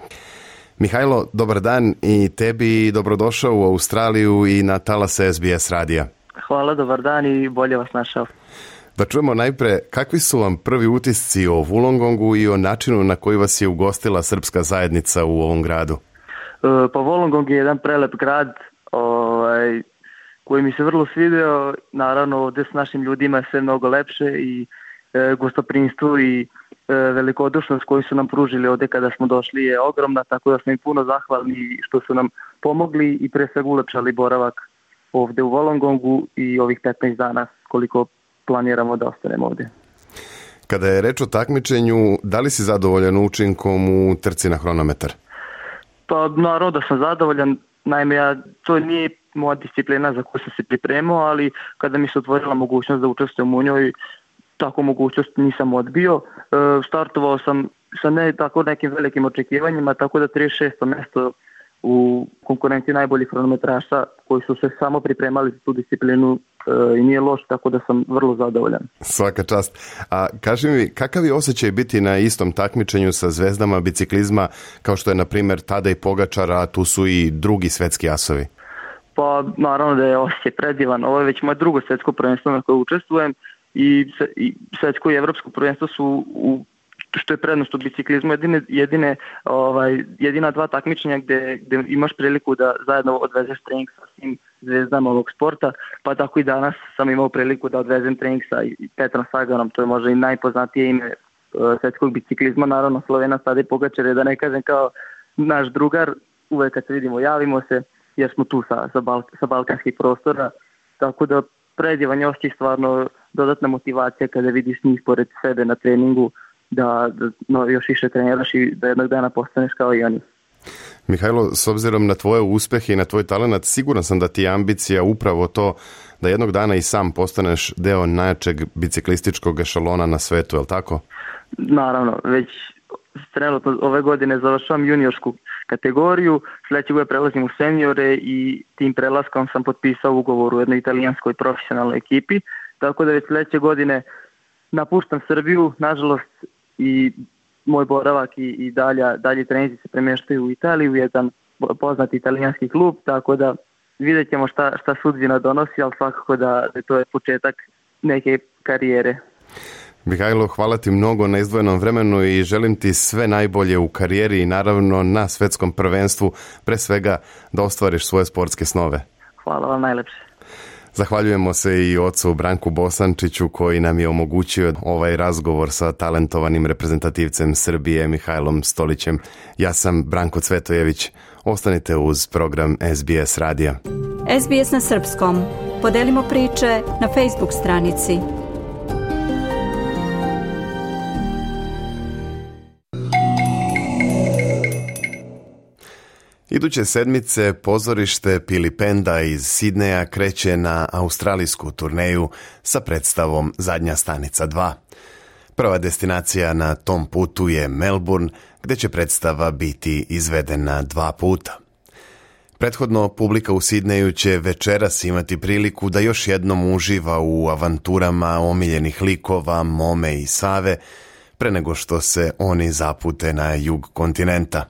Mihajlo, dobar dan i tebi dobrodošao u Australiju i na talase S B S radija. Hvala, dobar dan i bolje vas našao. Da čujemo najpre, kakvi su vam prvi utisci o Wollongongu i o načinu na koji vas je ugostila srpska zajednica u ovom gradu? Pa Wollongong je jedan prelep grad ovaj, koji mi se vrlo svidio. Naravno, ovdje s našim ljudima je sve mnogo lepše i e, gostoprimstvo i e, velikodušnost koju su nam pružili ovdje kada smo došli je ogromna, tako da smo im puno zahvalni što su nam pomogli i pre svega ulepšali boravak ovdje u Wollongongu i ovih petnaest dana koliko planiramo da ostanemo ovdje. Kada je reč o takmičenju, da li si zadovoljan učinkom u trci na hronometar? Pa naravno da sam zadovoljan, naime ja, to nije moja disciplina za koju sam se pripremao, ali kada mi se otvorila mogućnost da učestvujem u njoj, takvu mogućnost nisam odbio. E, startovao sam sa ne tako nekim velikim očekivanjima, tako da trideset šesto mesto u konkurenciji najboljih hronometraša koji su se samo pripremali za tu disciplinu e, i nije loš, tako da sam vrlo zadovoljan. Svaka čast. A kaži mi, kakav je osjećaj biti na istom takmičenju sa zvezdama biciklizma kao što je na primjer Tadej Pogačar, a tu su i drugi svetski asovi? Pa naravno da je osjećaj predivan. Ovo je već moje drugo svetsko prvenstvo na koje učestvujem i, i svetsko i evropsko prvenstvo su u što je prednost u biciklizmu, jedine, jedine, ovaj, jedina dva takmičenja gde, gde imaš priliku da zajedno odvezeš trening sa svim zvezdama ovog sporta, pa tako i danas sam imao priliku da odvezem trening sa Petrom Saganom, to je možda i najpoznatije ime uh, svetskog biciklizma, naravno Slovenac Tadej Pogačar je, da ne kažem, kao naš drugar, uvek kad se vidimo javimo se, jer smo tu sa, sa, Bal, sa balkanskih prostora, tako da predivan je osjećaj, stvarno dodatna motivacija kada vidiš njih pored sebe na treningu, da, da no, još više treniraš i da jednog dana postaneš kao i oni. Mihajlo, s obzirom na tvoje uspehe i na tvoj talenat, siguran sam da ti je ambicija upravo to da jednog dana i sam postaneš deo najjačeg biciklističkog ešalona na svetu, je li tako? Naravno, već trenutno ove godine završavam juniorsku kategoriju, sljedeće godine prelazim u seniore i tim prelaskom sam potpisao ugovor u jednoj italijanskoj profesionalnoj ekipi, tako da već sljedeće godine napuštam Srbiju, nažalost, i moj boravak i, i dalje, dalje treninzi se premještaju u Italiju, u jedan poznati italijanski klub, tako da vidjet ćemo šta, šta sudbina donosi, ali svakako da, da to je početak neke karijere. Mihajlo, hvala ti mnogo na izdvojenom vremenu i želim ti sve najbolje u karijeri i naravno na svetskom prvenstvu, pre svega da ostvariš svoje sportske snove. Hvala vam najlepše. Zahvaljujemo se i ocu Branku Bosančiću koji nam je omogućio ovaj razgovor sa talentovanim reprezentativcem Srbije Mihajlom Stolićem. Ja sam Branko Cvetojević. Ostanite uz program S B S radija. S B S na srpskom. Podelimo priče na Facebook stranici. Iduće sedmice pozorište Pilipenda iz Sidneja kreće na australijsku turneju sa predstavom Zadnja stanica dva. Prva destinacija na tom putu je Melbourne, gdje će predstava biti izvedena dva puta. Prethodno, publika u Sidneju će večeras imati priliku da još jednom uživa u avanturama omiljenih likova Mome i Save, pre nego što se oni zapute na jug kontinenta.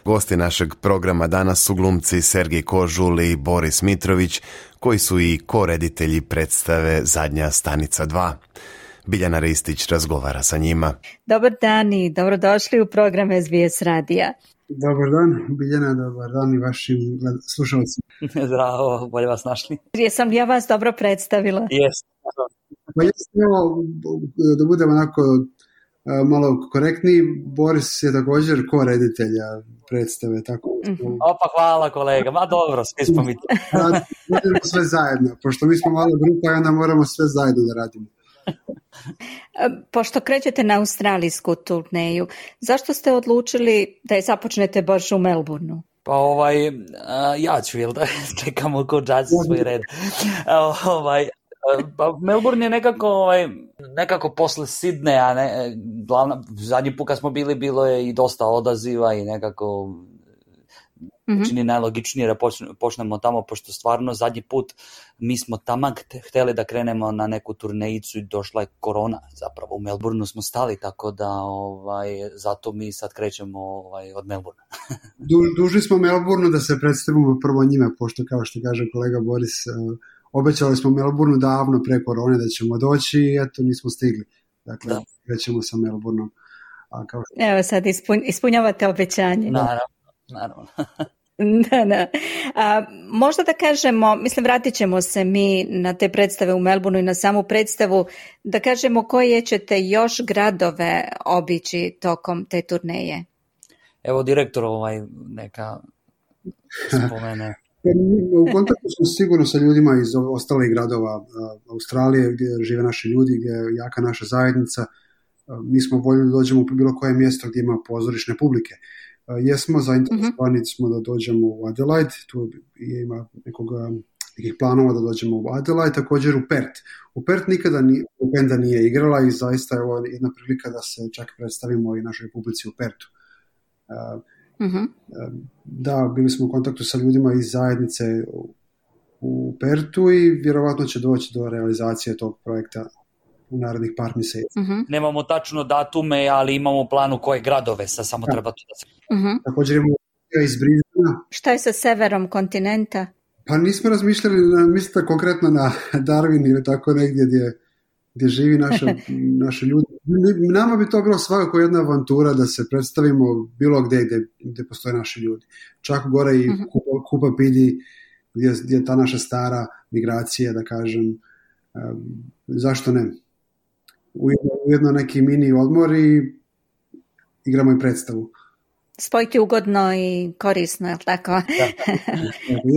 Gosti našeg programa danas su glumci Sergej Kožul i Boris Mitrović, koji su i koreditelji predstave Zadnja stanica dva. Biljana Ristić razgovara sa njima. Dobar dan i dobrodošli u program S B S radija. Dobar dan, Biljana, dobar dan i vašim slušalcima. Zdravo, bolje vas našli. Jesam li ja vas dobro predstavila? Jes. Pa jes, evo, da budemo onako malo korektniji, Boris je također ko-reditelja predstave, tako. Mm-hmm. Opa, hvala kolega, ma dobro, svi smo mi to. Radimo sve zajedno, pošto mi smo mala grupa i onda moramo sve zajedno da radimo. Pošto krećete na australijsku turneju, zašto ste odlučili da je započnete baš u Melbourneu? Pa ovaj, uh, ja ću, jel da, čekamo ko džaci svoj red. Uh, ovaj, Pa Melbourne je nekako, ovaj, nekako posle Sidneja, ne, glavna, zadnji put kad smo bili bilo je i dosta odaziva i nekako mm-hmm. čini najlogičnije da počnemo tamo, pošto stvarno zadnji put mi smo tamo hteli da krenemo na neku turnejicu i došla je korona, zapravo u Melbourneu smo stali, tako da ovaj, zato mi sad krećemo ovaj, od Melbournea. du, dužni smo Melbourneu da se predstavimo prvo njima, pošto kao što kaže kolega Boris, obećali smo Melbourneu davno pre korone da ćemo doći i eto nismo stigli. Dakle, da. Krećemo sa Melbourneom. A kao što... Evo sad ispun, ispunjavate obećanje. Naravno, naravno. da, da. A, možda da kažemo, mislim vratit ćemo se mi na te predstave u Melbourneu i na samu predstavu, da kažemo koje ćete još gradove obići tokom te turneje. Evo direktor ovaj neka spomene. U kontaktu smo sigurno sa ljudima iz ostalih gradova Australije gdje žive naši ljudi, gdje je jaka naša zajednica. Mi smo voljni da dođemo u bilo koje mjesto gdje ima pozorišne publike. Jesmo zainteresovani smo da dođemo u Adelaide, tu ima nekog nekih planova da dođemo u Adelaide, također u Perth. U Perth nikada ni, benda nije igrala i zaista je ovo jedna prilika da se čak predstavimo i našoj publici u Perthu. Uh, mm-hmm. Da, bili smo u kontaktu sa ljudima iz zajednice u, u Perthu i vjerovatno će doći do realizacije tog projekta u narednih par mjeseci. Mm-hmm. Nemamo tačno datume, ali imamo u planu koje gradove, sad samo da. treba to da se... Mm-hmm. Također imamo iz Brisbanea. Šta je sa severom kontinenta? Pa nismo razmišljali, mislite konkretno na Darwin ili tako negdje gdje, gdje živi naše, naše ljudi. Nama bi to bilo svakako jedna avantura da se predstavimo bilo gdje gdje, gdje postoje naši ljudi. Čak gore i mm-hmm. Kupa, Kupa Pidi, gdje, gdje je ta naša stara migracija, da kažem, um, zašto ne? Ujedno, ujedno neki mini odmor i igramo i predstavu. Spojiti ugodno i korisno, je li tako?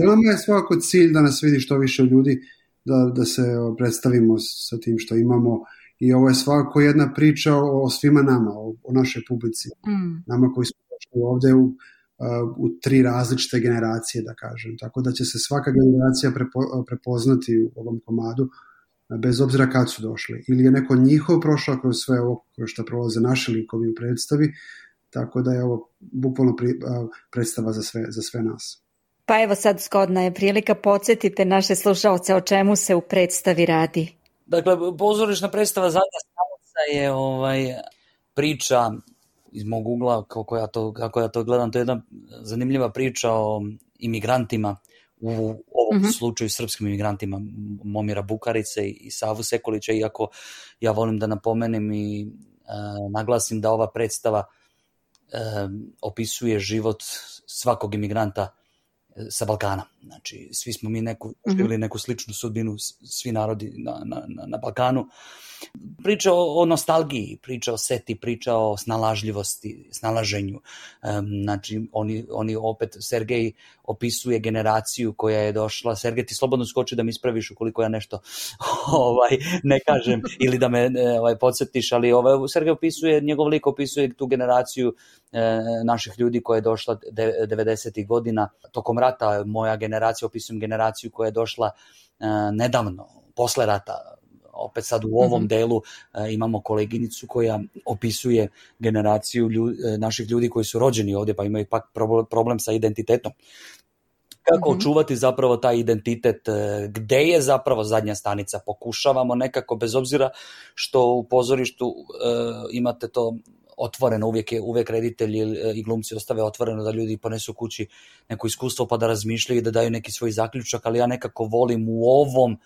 Nama je svakako cilj da nas vidi što više ljudi, da, da se predstavimo sa tim što imamo i ovo je svakako jedna priča o, o svima nama, o, o našoj publici. Mm. Nama koji smo došli ovdje u, u tri različite generacije, da kažem. Tako da će se svaka generacija prepo, prepoznati u ovom komadu, bez obzira kad su došli. Ili je neko njihov prošao kroz sve ovo kroz što prolaze naši likovi u predstavi, tako da je ovo bukvalno pri, uh, predstava za sve, za sve nas. Pa evo sad zgodna je prilika, podsjetite naše slušalce o čemu se u predstavi radi. Dakle, pozorišna predstava Zadnja stanica je ovaj, priča iz mog ugla, kako ja, to, kako ja to gledam, to je jedna zanimljiva priča o imigrantima, u ovom mm-hmm. slučaju srpskim imigrantima Momira Bukarice i Savu Sekulića, iako ja volim da napomenem i uh, naglasim da ova predstava Um, opisuje život svakog imigranta sa Balkana. Znači, svi smo mi neku, živjeli mm-hmm. neku sličnu sudbinu, svi narodi na, na, na Balkanu. Priča o, o nostalgiji, priča o seti, priča o snalažljivosti, snalaženju. Um, znači, oni, oni opet, Sergej opisuje generaciju koja je došla. Sergej, ti slobodno skoči da mi ispraviš ukoliko ja nešto ovaj, ne kažem ili da me ovaj, podsjetiš, ali ovaj, Sergej opisuje, njegov lik opisuje tu generaciju e, naših ljudi koja je došla de, devedesetih godina. Tokom rata, moja generacija, opisujem generaciju koja je došla e, nedavno, posle rata. Opet sad u ovom mm-hmm. delu uh, imamo koleginicu koja opisuje generaciju ljudi, naših ljudi koji su rođeni ovdje pa imaju pak problem sa identitetom. Kako mm-hmm. očuvati zapravo taj identitet, gde je zapravo zadnja stanica? Pokušavamo nekako, bez obzira što u pozorištu uh, imate to otvoreno, uvijek, je, uvijek reditelji i glumci ostave otvoreno da ljudi ponesu kući neko iskustvo pa da razmišljaju i da daju neki svoj zaključak, ali ja nekako volim u ovom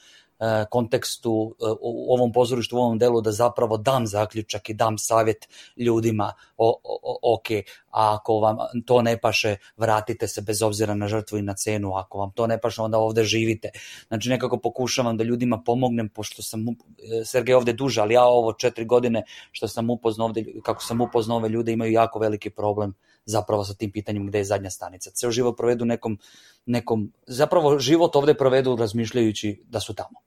kontekstu, u ovom pozorištu, u ovom delu da zapravo dam zaključak i dam savjet ljudima, o, o, ok, a ako vam to ne paše, vratite se bez obzira na žrtvu i na cenu, ako vam to ne paše, onda ovdje živite. Znači nekako pokušavam da ljudima pomognem, pošto sam, Sergej ovdje duže, ali ja ovo četiri godine što sam upoznao ovdje, kako sam upoznao ove ljude, imaju jako veliki problem zapravo sa tim pitanjem gde je zadnja stanica. Ceo život provedu nekom, nekom, zapravo život ovdje provedu razmišljajući da su tamo.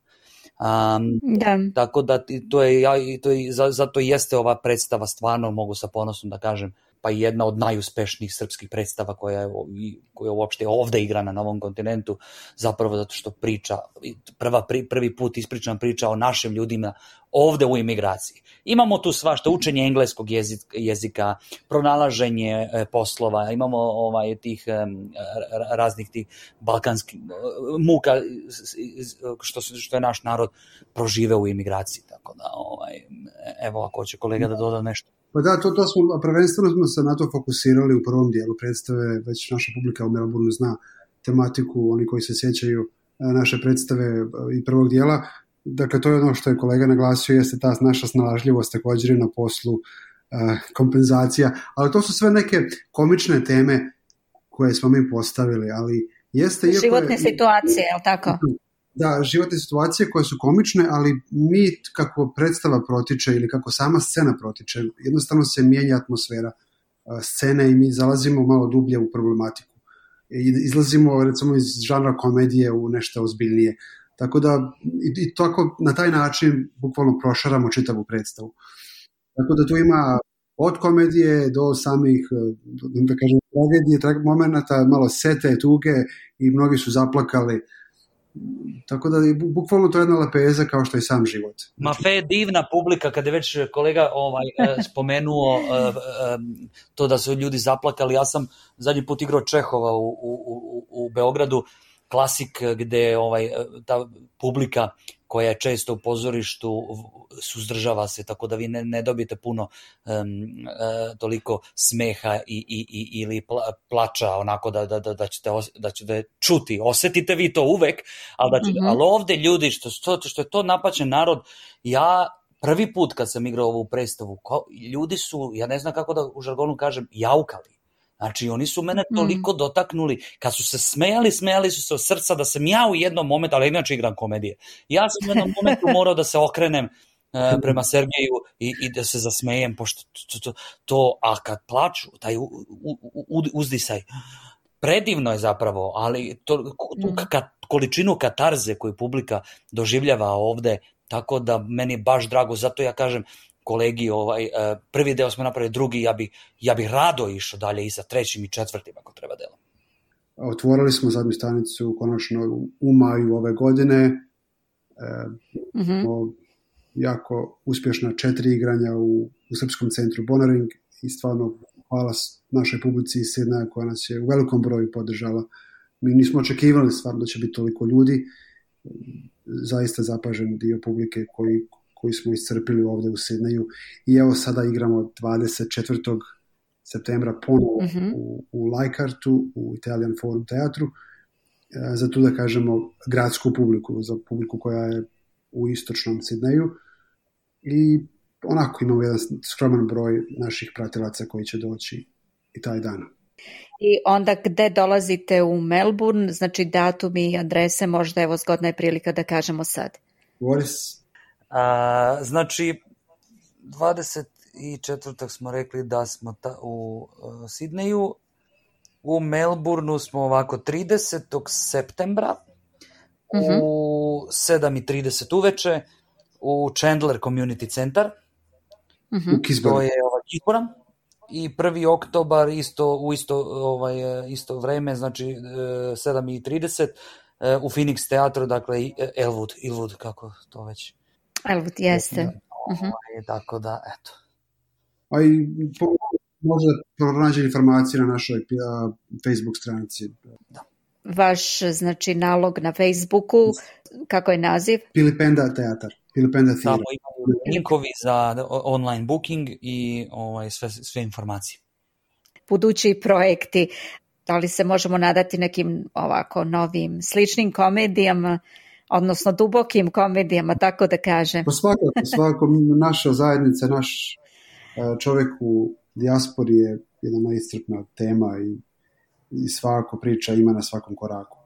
Um, da. Tako da to je, ja, to je, zato jeste ova predstava stvarno, mogu sa ponosom da kažem, pa jedna od najuspešnijih srpskih predstava koja je, koja je uopšte ovdje igrana na ovom kontinentu, zapravo zato što priča, prva, prvi put ispričana priča o našim ljudima ovdje u imigraciji. Imamo tu svašta, učenje engleskog jezika, jezika pronalaženje poslova, imamo ovaj, tih raznih tih balkanskih muka što, što je naš narod proživeo u imigraciji. Tako da, ovaj, evo ako će kolega da doda nešto. Pa da, to, to smo, prvenstveno smo se na to fokusirali u prvom dijelu predstave, već naša publika u Melbourneu zna tematiku, oni koji se sjećaju naše predstave i prvog dijela. Dakle, to je ono što je kolega naglasio, jeste ta naša snalažljivost također na poslu, kompenzacija, ali to su sve neke komične teme koje smo mi postavili, ali jeste... Životne je, situacije, je li tako? Da, životne situacije koje su komične, ali mi kako predstava protiče ili kako sama scena protiče, jednostavno se mijenja atmosfera scene i mi zalazimo malo dublje u problematiku. Izlazimo recimo iz žanra komedije u nešto ozbiljnije. Tako da i, i tako na taj način bukvalno prošaramo čitavu predstavu. Tako da tu ima od komedije do samih, da kažem, tragedije, momenta, malo sete, tuge i mnogi su zaplakali. tako da je bukvalno to jedna lepeza kao što je sam život. Ma fe je divna publika, kada je već kolega ovaj, spomenuo to da su ljudi zaplakali. Ja sam zadnji put igrao Čehova u, u, u, u Beogradu, klasik gde ovaj, ta publika koja je često u pozorištu suzdržava se, tako da vi ne, ne dobijete puno um, uh, toliko smeha i, i, i, ili pla, plača, onako da, da, da, da, ćete, da ćete čuti. Osetite vi to uvek, ali, da ćete, mm-hmm. ali ovde ljudi, što, što, što je to napaćen narod, ja prvi put kad sam igrao ovu predstavu, ko, ljudi su, ja ne znam kako da u žargonu kažem, jaukali. Znači, oni su mene toliko mm. dotaknuli, kad su se smejali, smejali su se od srca, da sam ja u jednom momentu, ali inače igram komedije, ja sam u jednom momentu morao da se okrenem uh, prema Sergeju i, i da se zasmejem, pošto to, to, to a kad plaču, taj u, u, u, uzdisaj, predivno je zapravo, ali to, tu ka, količinu katarze koju publika doživljava ovde, tako da meni je baš drago, zato ja kažem, kolegi, ovaj, prvi deo smo napravili, drugi, ja bih ja bi rado išao dalje i sa trećim i četvrtim ako treba delom. Otvorili smo zadnju stanicu konačno u maju ove godine. E, mm-hmm. Jako uspješna četiri igranja u, u Srpskom centru Bonaring i stvarno hvala našoj publici iz Sidneja koja nas je u velikom broju podržala. Mi nismo očekivali stvarno da će biti toliko ljudi. Zaista zapažen dio publike koji koji smo iscrpili ovdje u Sidneju i evo sada igramo dvadeset četvrtog septembra ponovo mm-hmm. u, u Leichhardtu, u Italian Forum teatru, e, za tu da kažemo gradsku publiku, za publiku koja je u istočnom Sidneju i onako imamo jedan skroman broj naših pratilaca koji će doći i taj dan. I onda gde dolazite u Melbourne, znači datumi i adrese, možda evo zgodna je prilika da kažemo sad. Boris? A, znači, dvadeset četvrtog smo rekli da smo ta, u uh, Sidneju, u Melbourneu smo ovako tridesetog septembra mm-hmm. u sedam i trideset uveče u Chandler Community Centar, mm-hmm. u Kisboru. To je ovaj, Kisbora, i prvi oktobar isto, u isto, ovaj, isto vreme, znači sedam i trideset u Phoenix teatru, dakle Elwood, Elwood, kako to već Elwood, jeste. Uh-huh. Tako da, eto. A i po, možda pronađe informacije na našoj uh, Facebook stranici. Da. Vaš, znači, nalog na Facebooku, kako je naziv? Pilipenda teatar. Pilipenda theater. Tamo imamo linkovi za online booking i ovaj, sve, sve informacije. Budući projekti, da li se možemo nadati nekim ovako novim sličnim komedijama, odnosno dubokim komedijama, tako da kažem. Pa svakako, svakako naša zajednica, naš čovjek u dijaspori je jedna neiscrpna tema i, i svako priča ima na svakom koraku.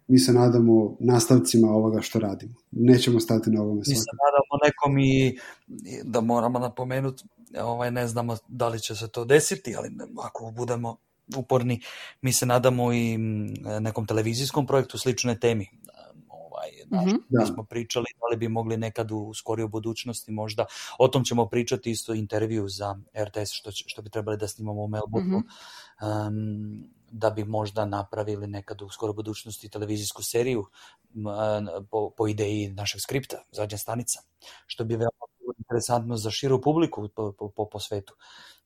Mi se nadamo nastavcima ovoga što radimo. Nećemo stati na ovome Mi svakako. se nadamo nekom i da moramo napomenuti, ovaj, ne znamo da li će se to desiti, ali ako budemo uporni, mi se nadamo i nekom televizijskom projektu sličnoj temi. Znači, mm-hmm. da smo pričali da li bi mogli nekad u skorijoj budućnosti možda, o tom ćemo pričati isto intervju za R T S što, što bi trebali da snimamo u Melbourneu, mm-hmm. um, da bi možda napravili nekad u skoroj budućnosti televizijsku seriju um, po, po ideji našeg skripta, Zadnja stanica, što bi veoma interesantno za širu publiku po, po, po, po svetu.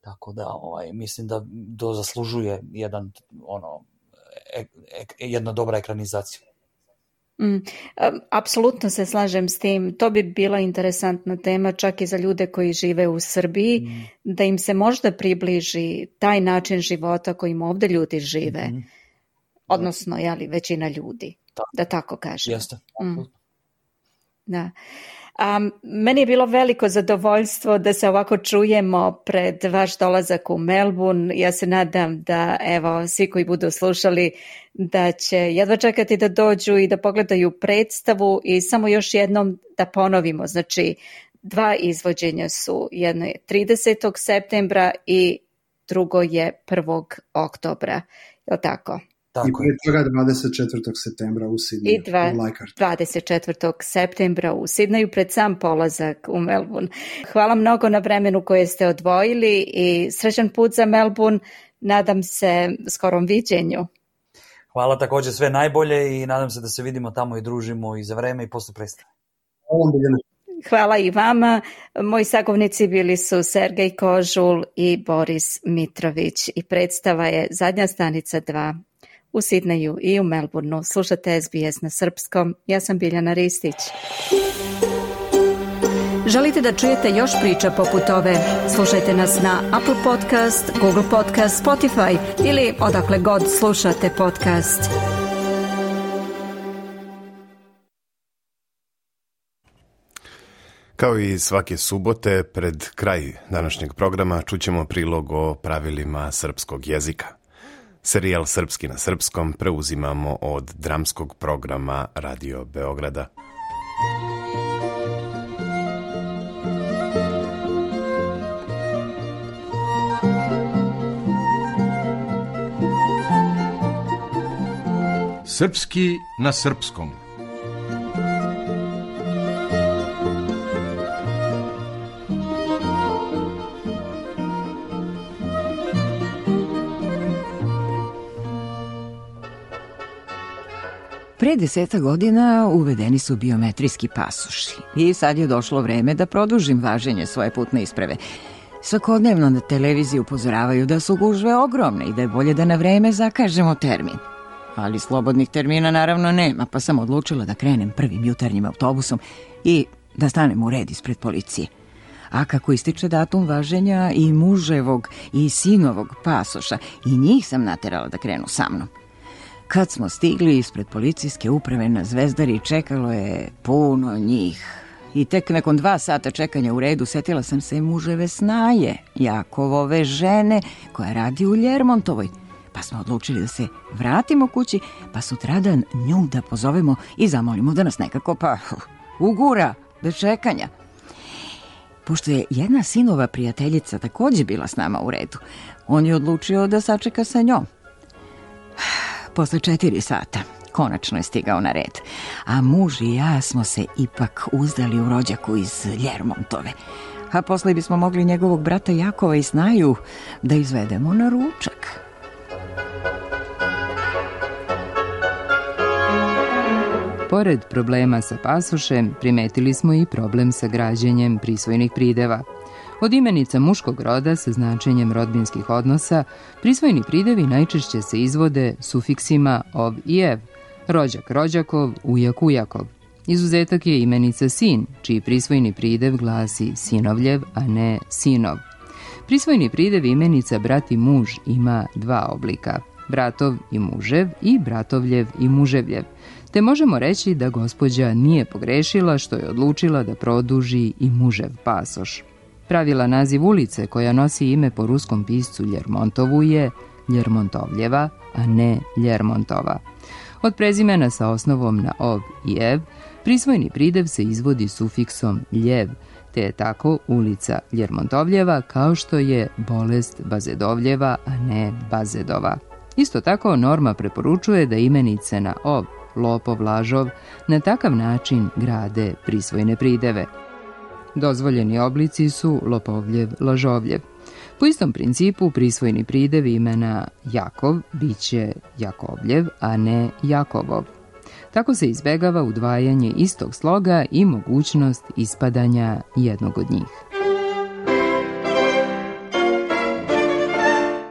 Tako da ovaj, mislim da to zaslužuje jedan, ono, e, e, jedna dobra ekranizacija. Mm, apsolutno se slažem s tim. To bi bila interesantna tema čak i za ljude koji žive u Srbiji, mm. da im se možda približi taj način života kojim ovdje ljudi žive. Mm. Odnosno, jeli, većina ljudi. Da, da tako kažem. Jeste. Mm. Da. Um, meni je bilo veliko zadovoljstvo da se ovako čujemo pred vaš dolazak u Melbourne. Ja se nadam da, evo, svi koji budu slušali, da će jedva čekati da dođu i da pogledaju predstavu i samo još jednom da ponovimo. Znači, dva izvođenja su. Jedno je tridesetog septembra i drugo je prvog oktobra. Je li tako? Tako I prije toga dvadeset četvrtog septembra u Sidneju, I dva, u Leichhardtu. dvadeset četvrtog septembra u Sidneju pred sam polazak u Melbourne. Hvala mnogo na vremenu koje ste odvojili i srećan put za Melbourne. Nadam se skorom viđenju. Hvala također, sve najbolje i nadam se da se vidimo tamo i družimo i za vreme i posle predstave. Hvala i vama. Moji sagovornici bili su Sergej Kožul i Boris Mitrović i predstava je Zadnja stanica dva u Sidneju i u Melbourneu. Slušate S B S na srpskom. Ja sam Biljana Ristić. Želite da čujete još priča poput ove? Slušajte nas na Apple Podcast, Google Podcast, Spotify ili odakle god slušate podcast. Kao i svake subote, pred kraj današnjeg programa čućemo prilog o pravilima srpskog jezika. Serijal Srpski na srpskom preuzimamo od dramskog programa Radio Beograda. Srpski na srpskom. Pre deseta godina uvedeni su biometrijski pasoši i sad je došlo vreme da produžim važenje svoje putne isprave. Svakodnevno na televiziji upozoravaju da su gužve ogromne i da je bolje da na vreme zakažemo termin. Ali slobodnih termina naravno nema, pa sam odlučila da krenem prvim jutarnjim autobusom i da stanem u red ispred policije. A kako ističe datum važenja i muževog i sinovog pasoša, i njih sam naterala da krenu sa mnom. Kad smo stigli ispred policijske uprave na Zvezdari, čekalo je puno njih. I tek nakon dva sata čekanja u redu setila sam se muževe Snaje, Jakovove žene, koja radi u Ljermontovoj. Pa smo odlučili da se vratimo kući, pa sutradan nju da pozovemo i zamolimo da nas nekako pa ugura bez čekanja. Pošto je jedna sinova prijateljica također bila s nama u redu, on je odlučio da sačeka sa njom. Posle četiri sata konačno je stigao na red, a muž i ja smo se ipak uzdali u rođaku iz Ljermontove, a posle bismo mogli njegovog brata Jakova i Snaju da izvedemo na ručak. Pored problema sa pasošem, primetili smo i problem sa građenjem prisvojnih prideva. Od imenica muškog roda sa značenjem rodbinskih odnosa, prisvojni pridevi najčešće se izvode sufiksima ov i ev, rođak rođakov, ujak ujakov. Izuzetak je imenica sin, čiji prisvojni pridev glasi sinovljev, a ne sinov. Prisvojni pridev imenica brat i muž ima dva oblika, bratov i mužev i bratovljev i muževljev. Te možemo reći da gospođa nije pogrešila što je odlučila da produži i mužev pasoš. Pravila naziv ulice koja nosi ime po ruskom piscu Ljermontovu je Ljermontovljeva, a ne Ljermontova. Od prezimena sa osnovom na ov i ev, prisvojni pridev se izvodi sufiksom ljev, te je tako ulica Ljermontovljeva kao što je bolest Bazedovljeva, a ne Bazedova. Isto tako norma preporučuje da imenice na ov, lopov, lažov, na takav način grade prisvojne prideve. Dozvoljeni oblici su lopovljev, lažovljev. Po istom principu prisvojni pridev imena Jakov biće Jakovljev, a ne Jakovov. Tako se izbegava udvajanje istog sloga i mogućnost ispadanja jednog od njih.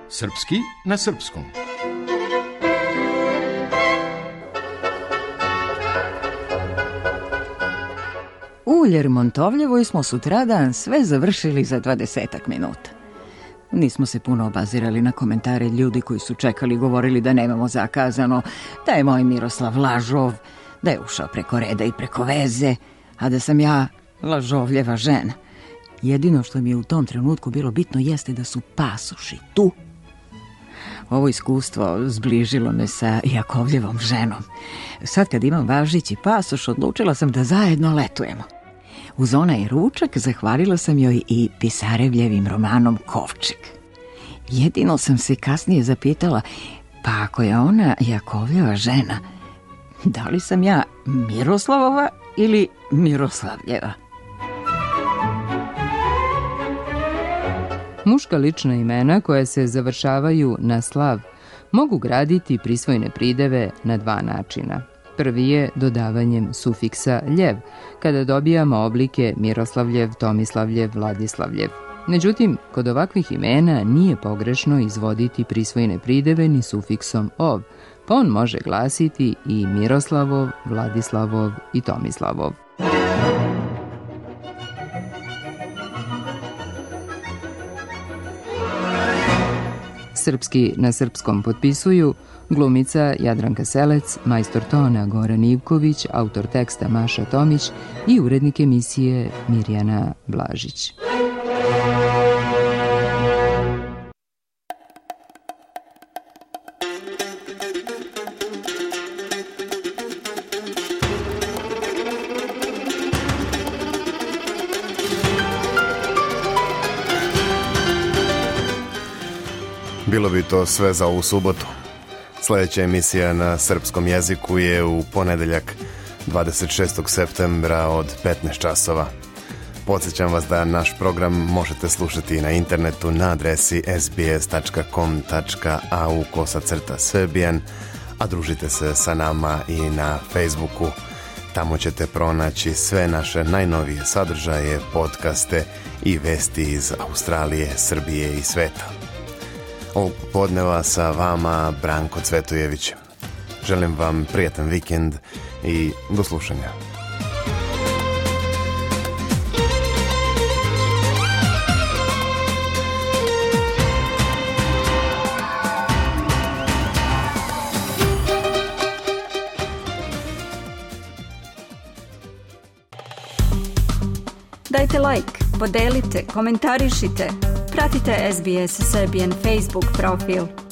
Srpski na srpskom. U Ljermontovljevoj smo sutradan sve završili za dvadesetak minuta. Nismo se puno obazirali na komentare ljudi koji su čekali, govorili da nemamo zakazano, da je moj Miroslav lažov, da je ušao preko reda i preko veze, a da sam ja lažovljeva žena. Jedino što mi je u tom trenutku bilo bitno jeste da su pasoši tu. Ovo iskustvo zbližilo me sa Jakovljevom ženom. Sad kad imam važeći pasoš, odlučila sam da zajedno letujemo. Uz onaj ručak zahvalila sam joj i Pisarevljevim romanom Kovčeg. Jedino sam se kasnije zapitala, pa ako je ona Jakovljeva žena, da li sam ja Miroslavova ili Miroslavljeva? Muška lična imena koja se završavaju na slav mogu graditi prisvojne prideve na dva načina. Prvi je dodavanjem sufiksa ljev, kada dobijamo oblike Miroslavljev, Tomislavljev, Vladislavljev. Međutim, kod ovakvih imena nije pogrešno izvoditi prisvojne prideve ni sufiksom ov, pa on može glasiti i Miroslavov, Vladislavov i Tomislavov. Srpski na srpskom potpisuju glumica Jadranka Selec, majstor tona Goran Ivković, autor teksta Maša Tomić i urednik emisije Mirjana Blažić. Bilo bi to sve za ovu subotu. Sljedeća emisija na srpskom jeziku je u ponedeljak dvadeset šestog septembra od petnaest časova. Podsjećam vas da naš program možete slušati na internetu na adresi s b s tačka com tačka a u kosacrta serbian, a družite se sa nama i na Facebooku. Tamo ćete pronaći sve naše najnovije sadržaje, podcaste i vesti iz Australije, Srbije i sveta. Ovog popodneva sa vama Branko Cvetojević. Želim vam prijatan vikend i do slušanja. Dajte like, podelite, komentarišite. Pratite S B S Serbian Facebook profil.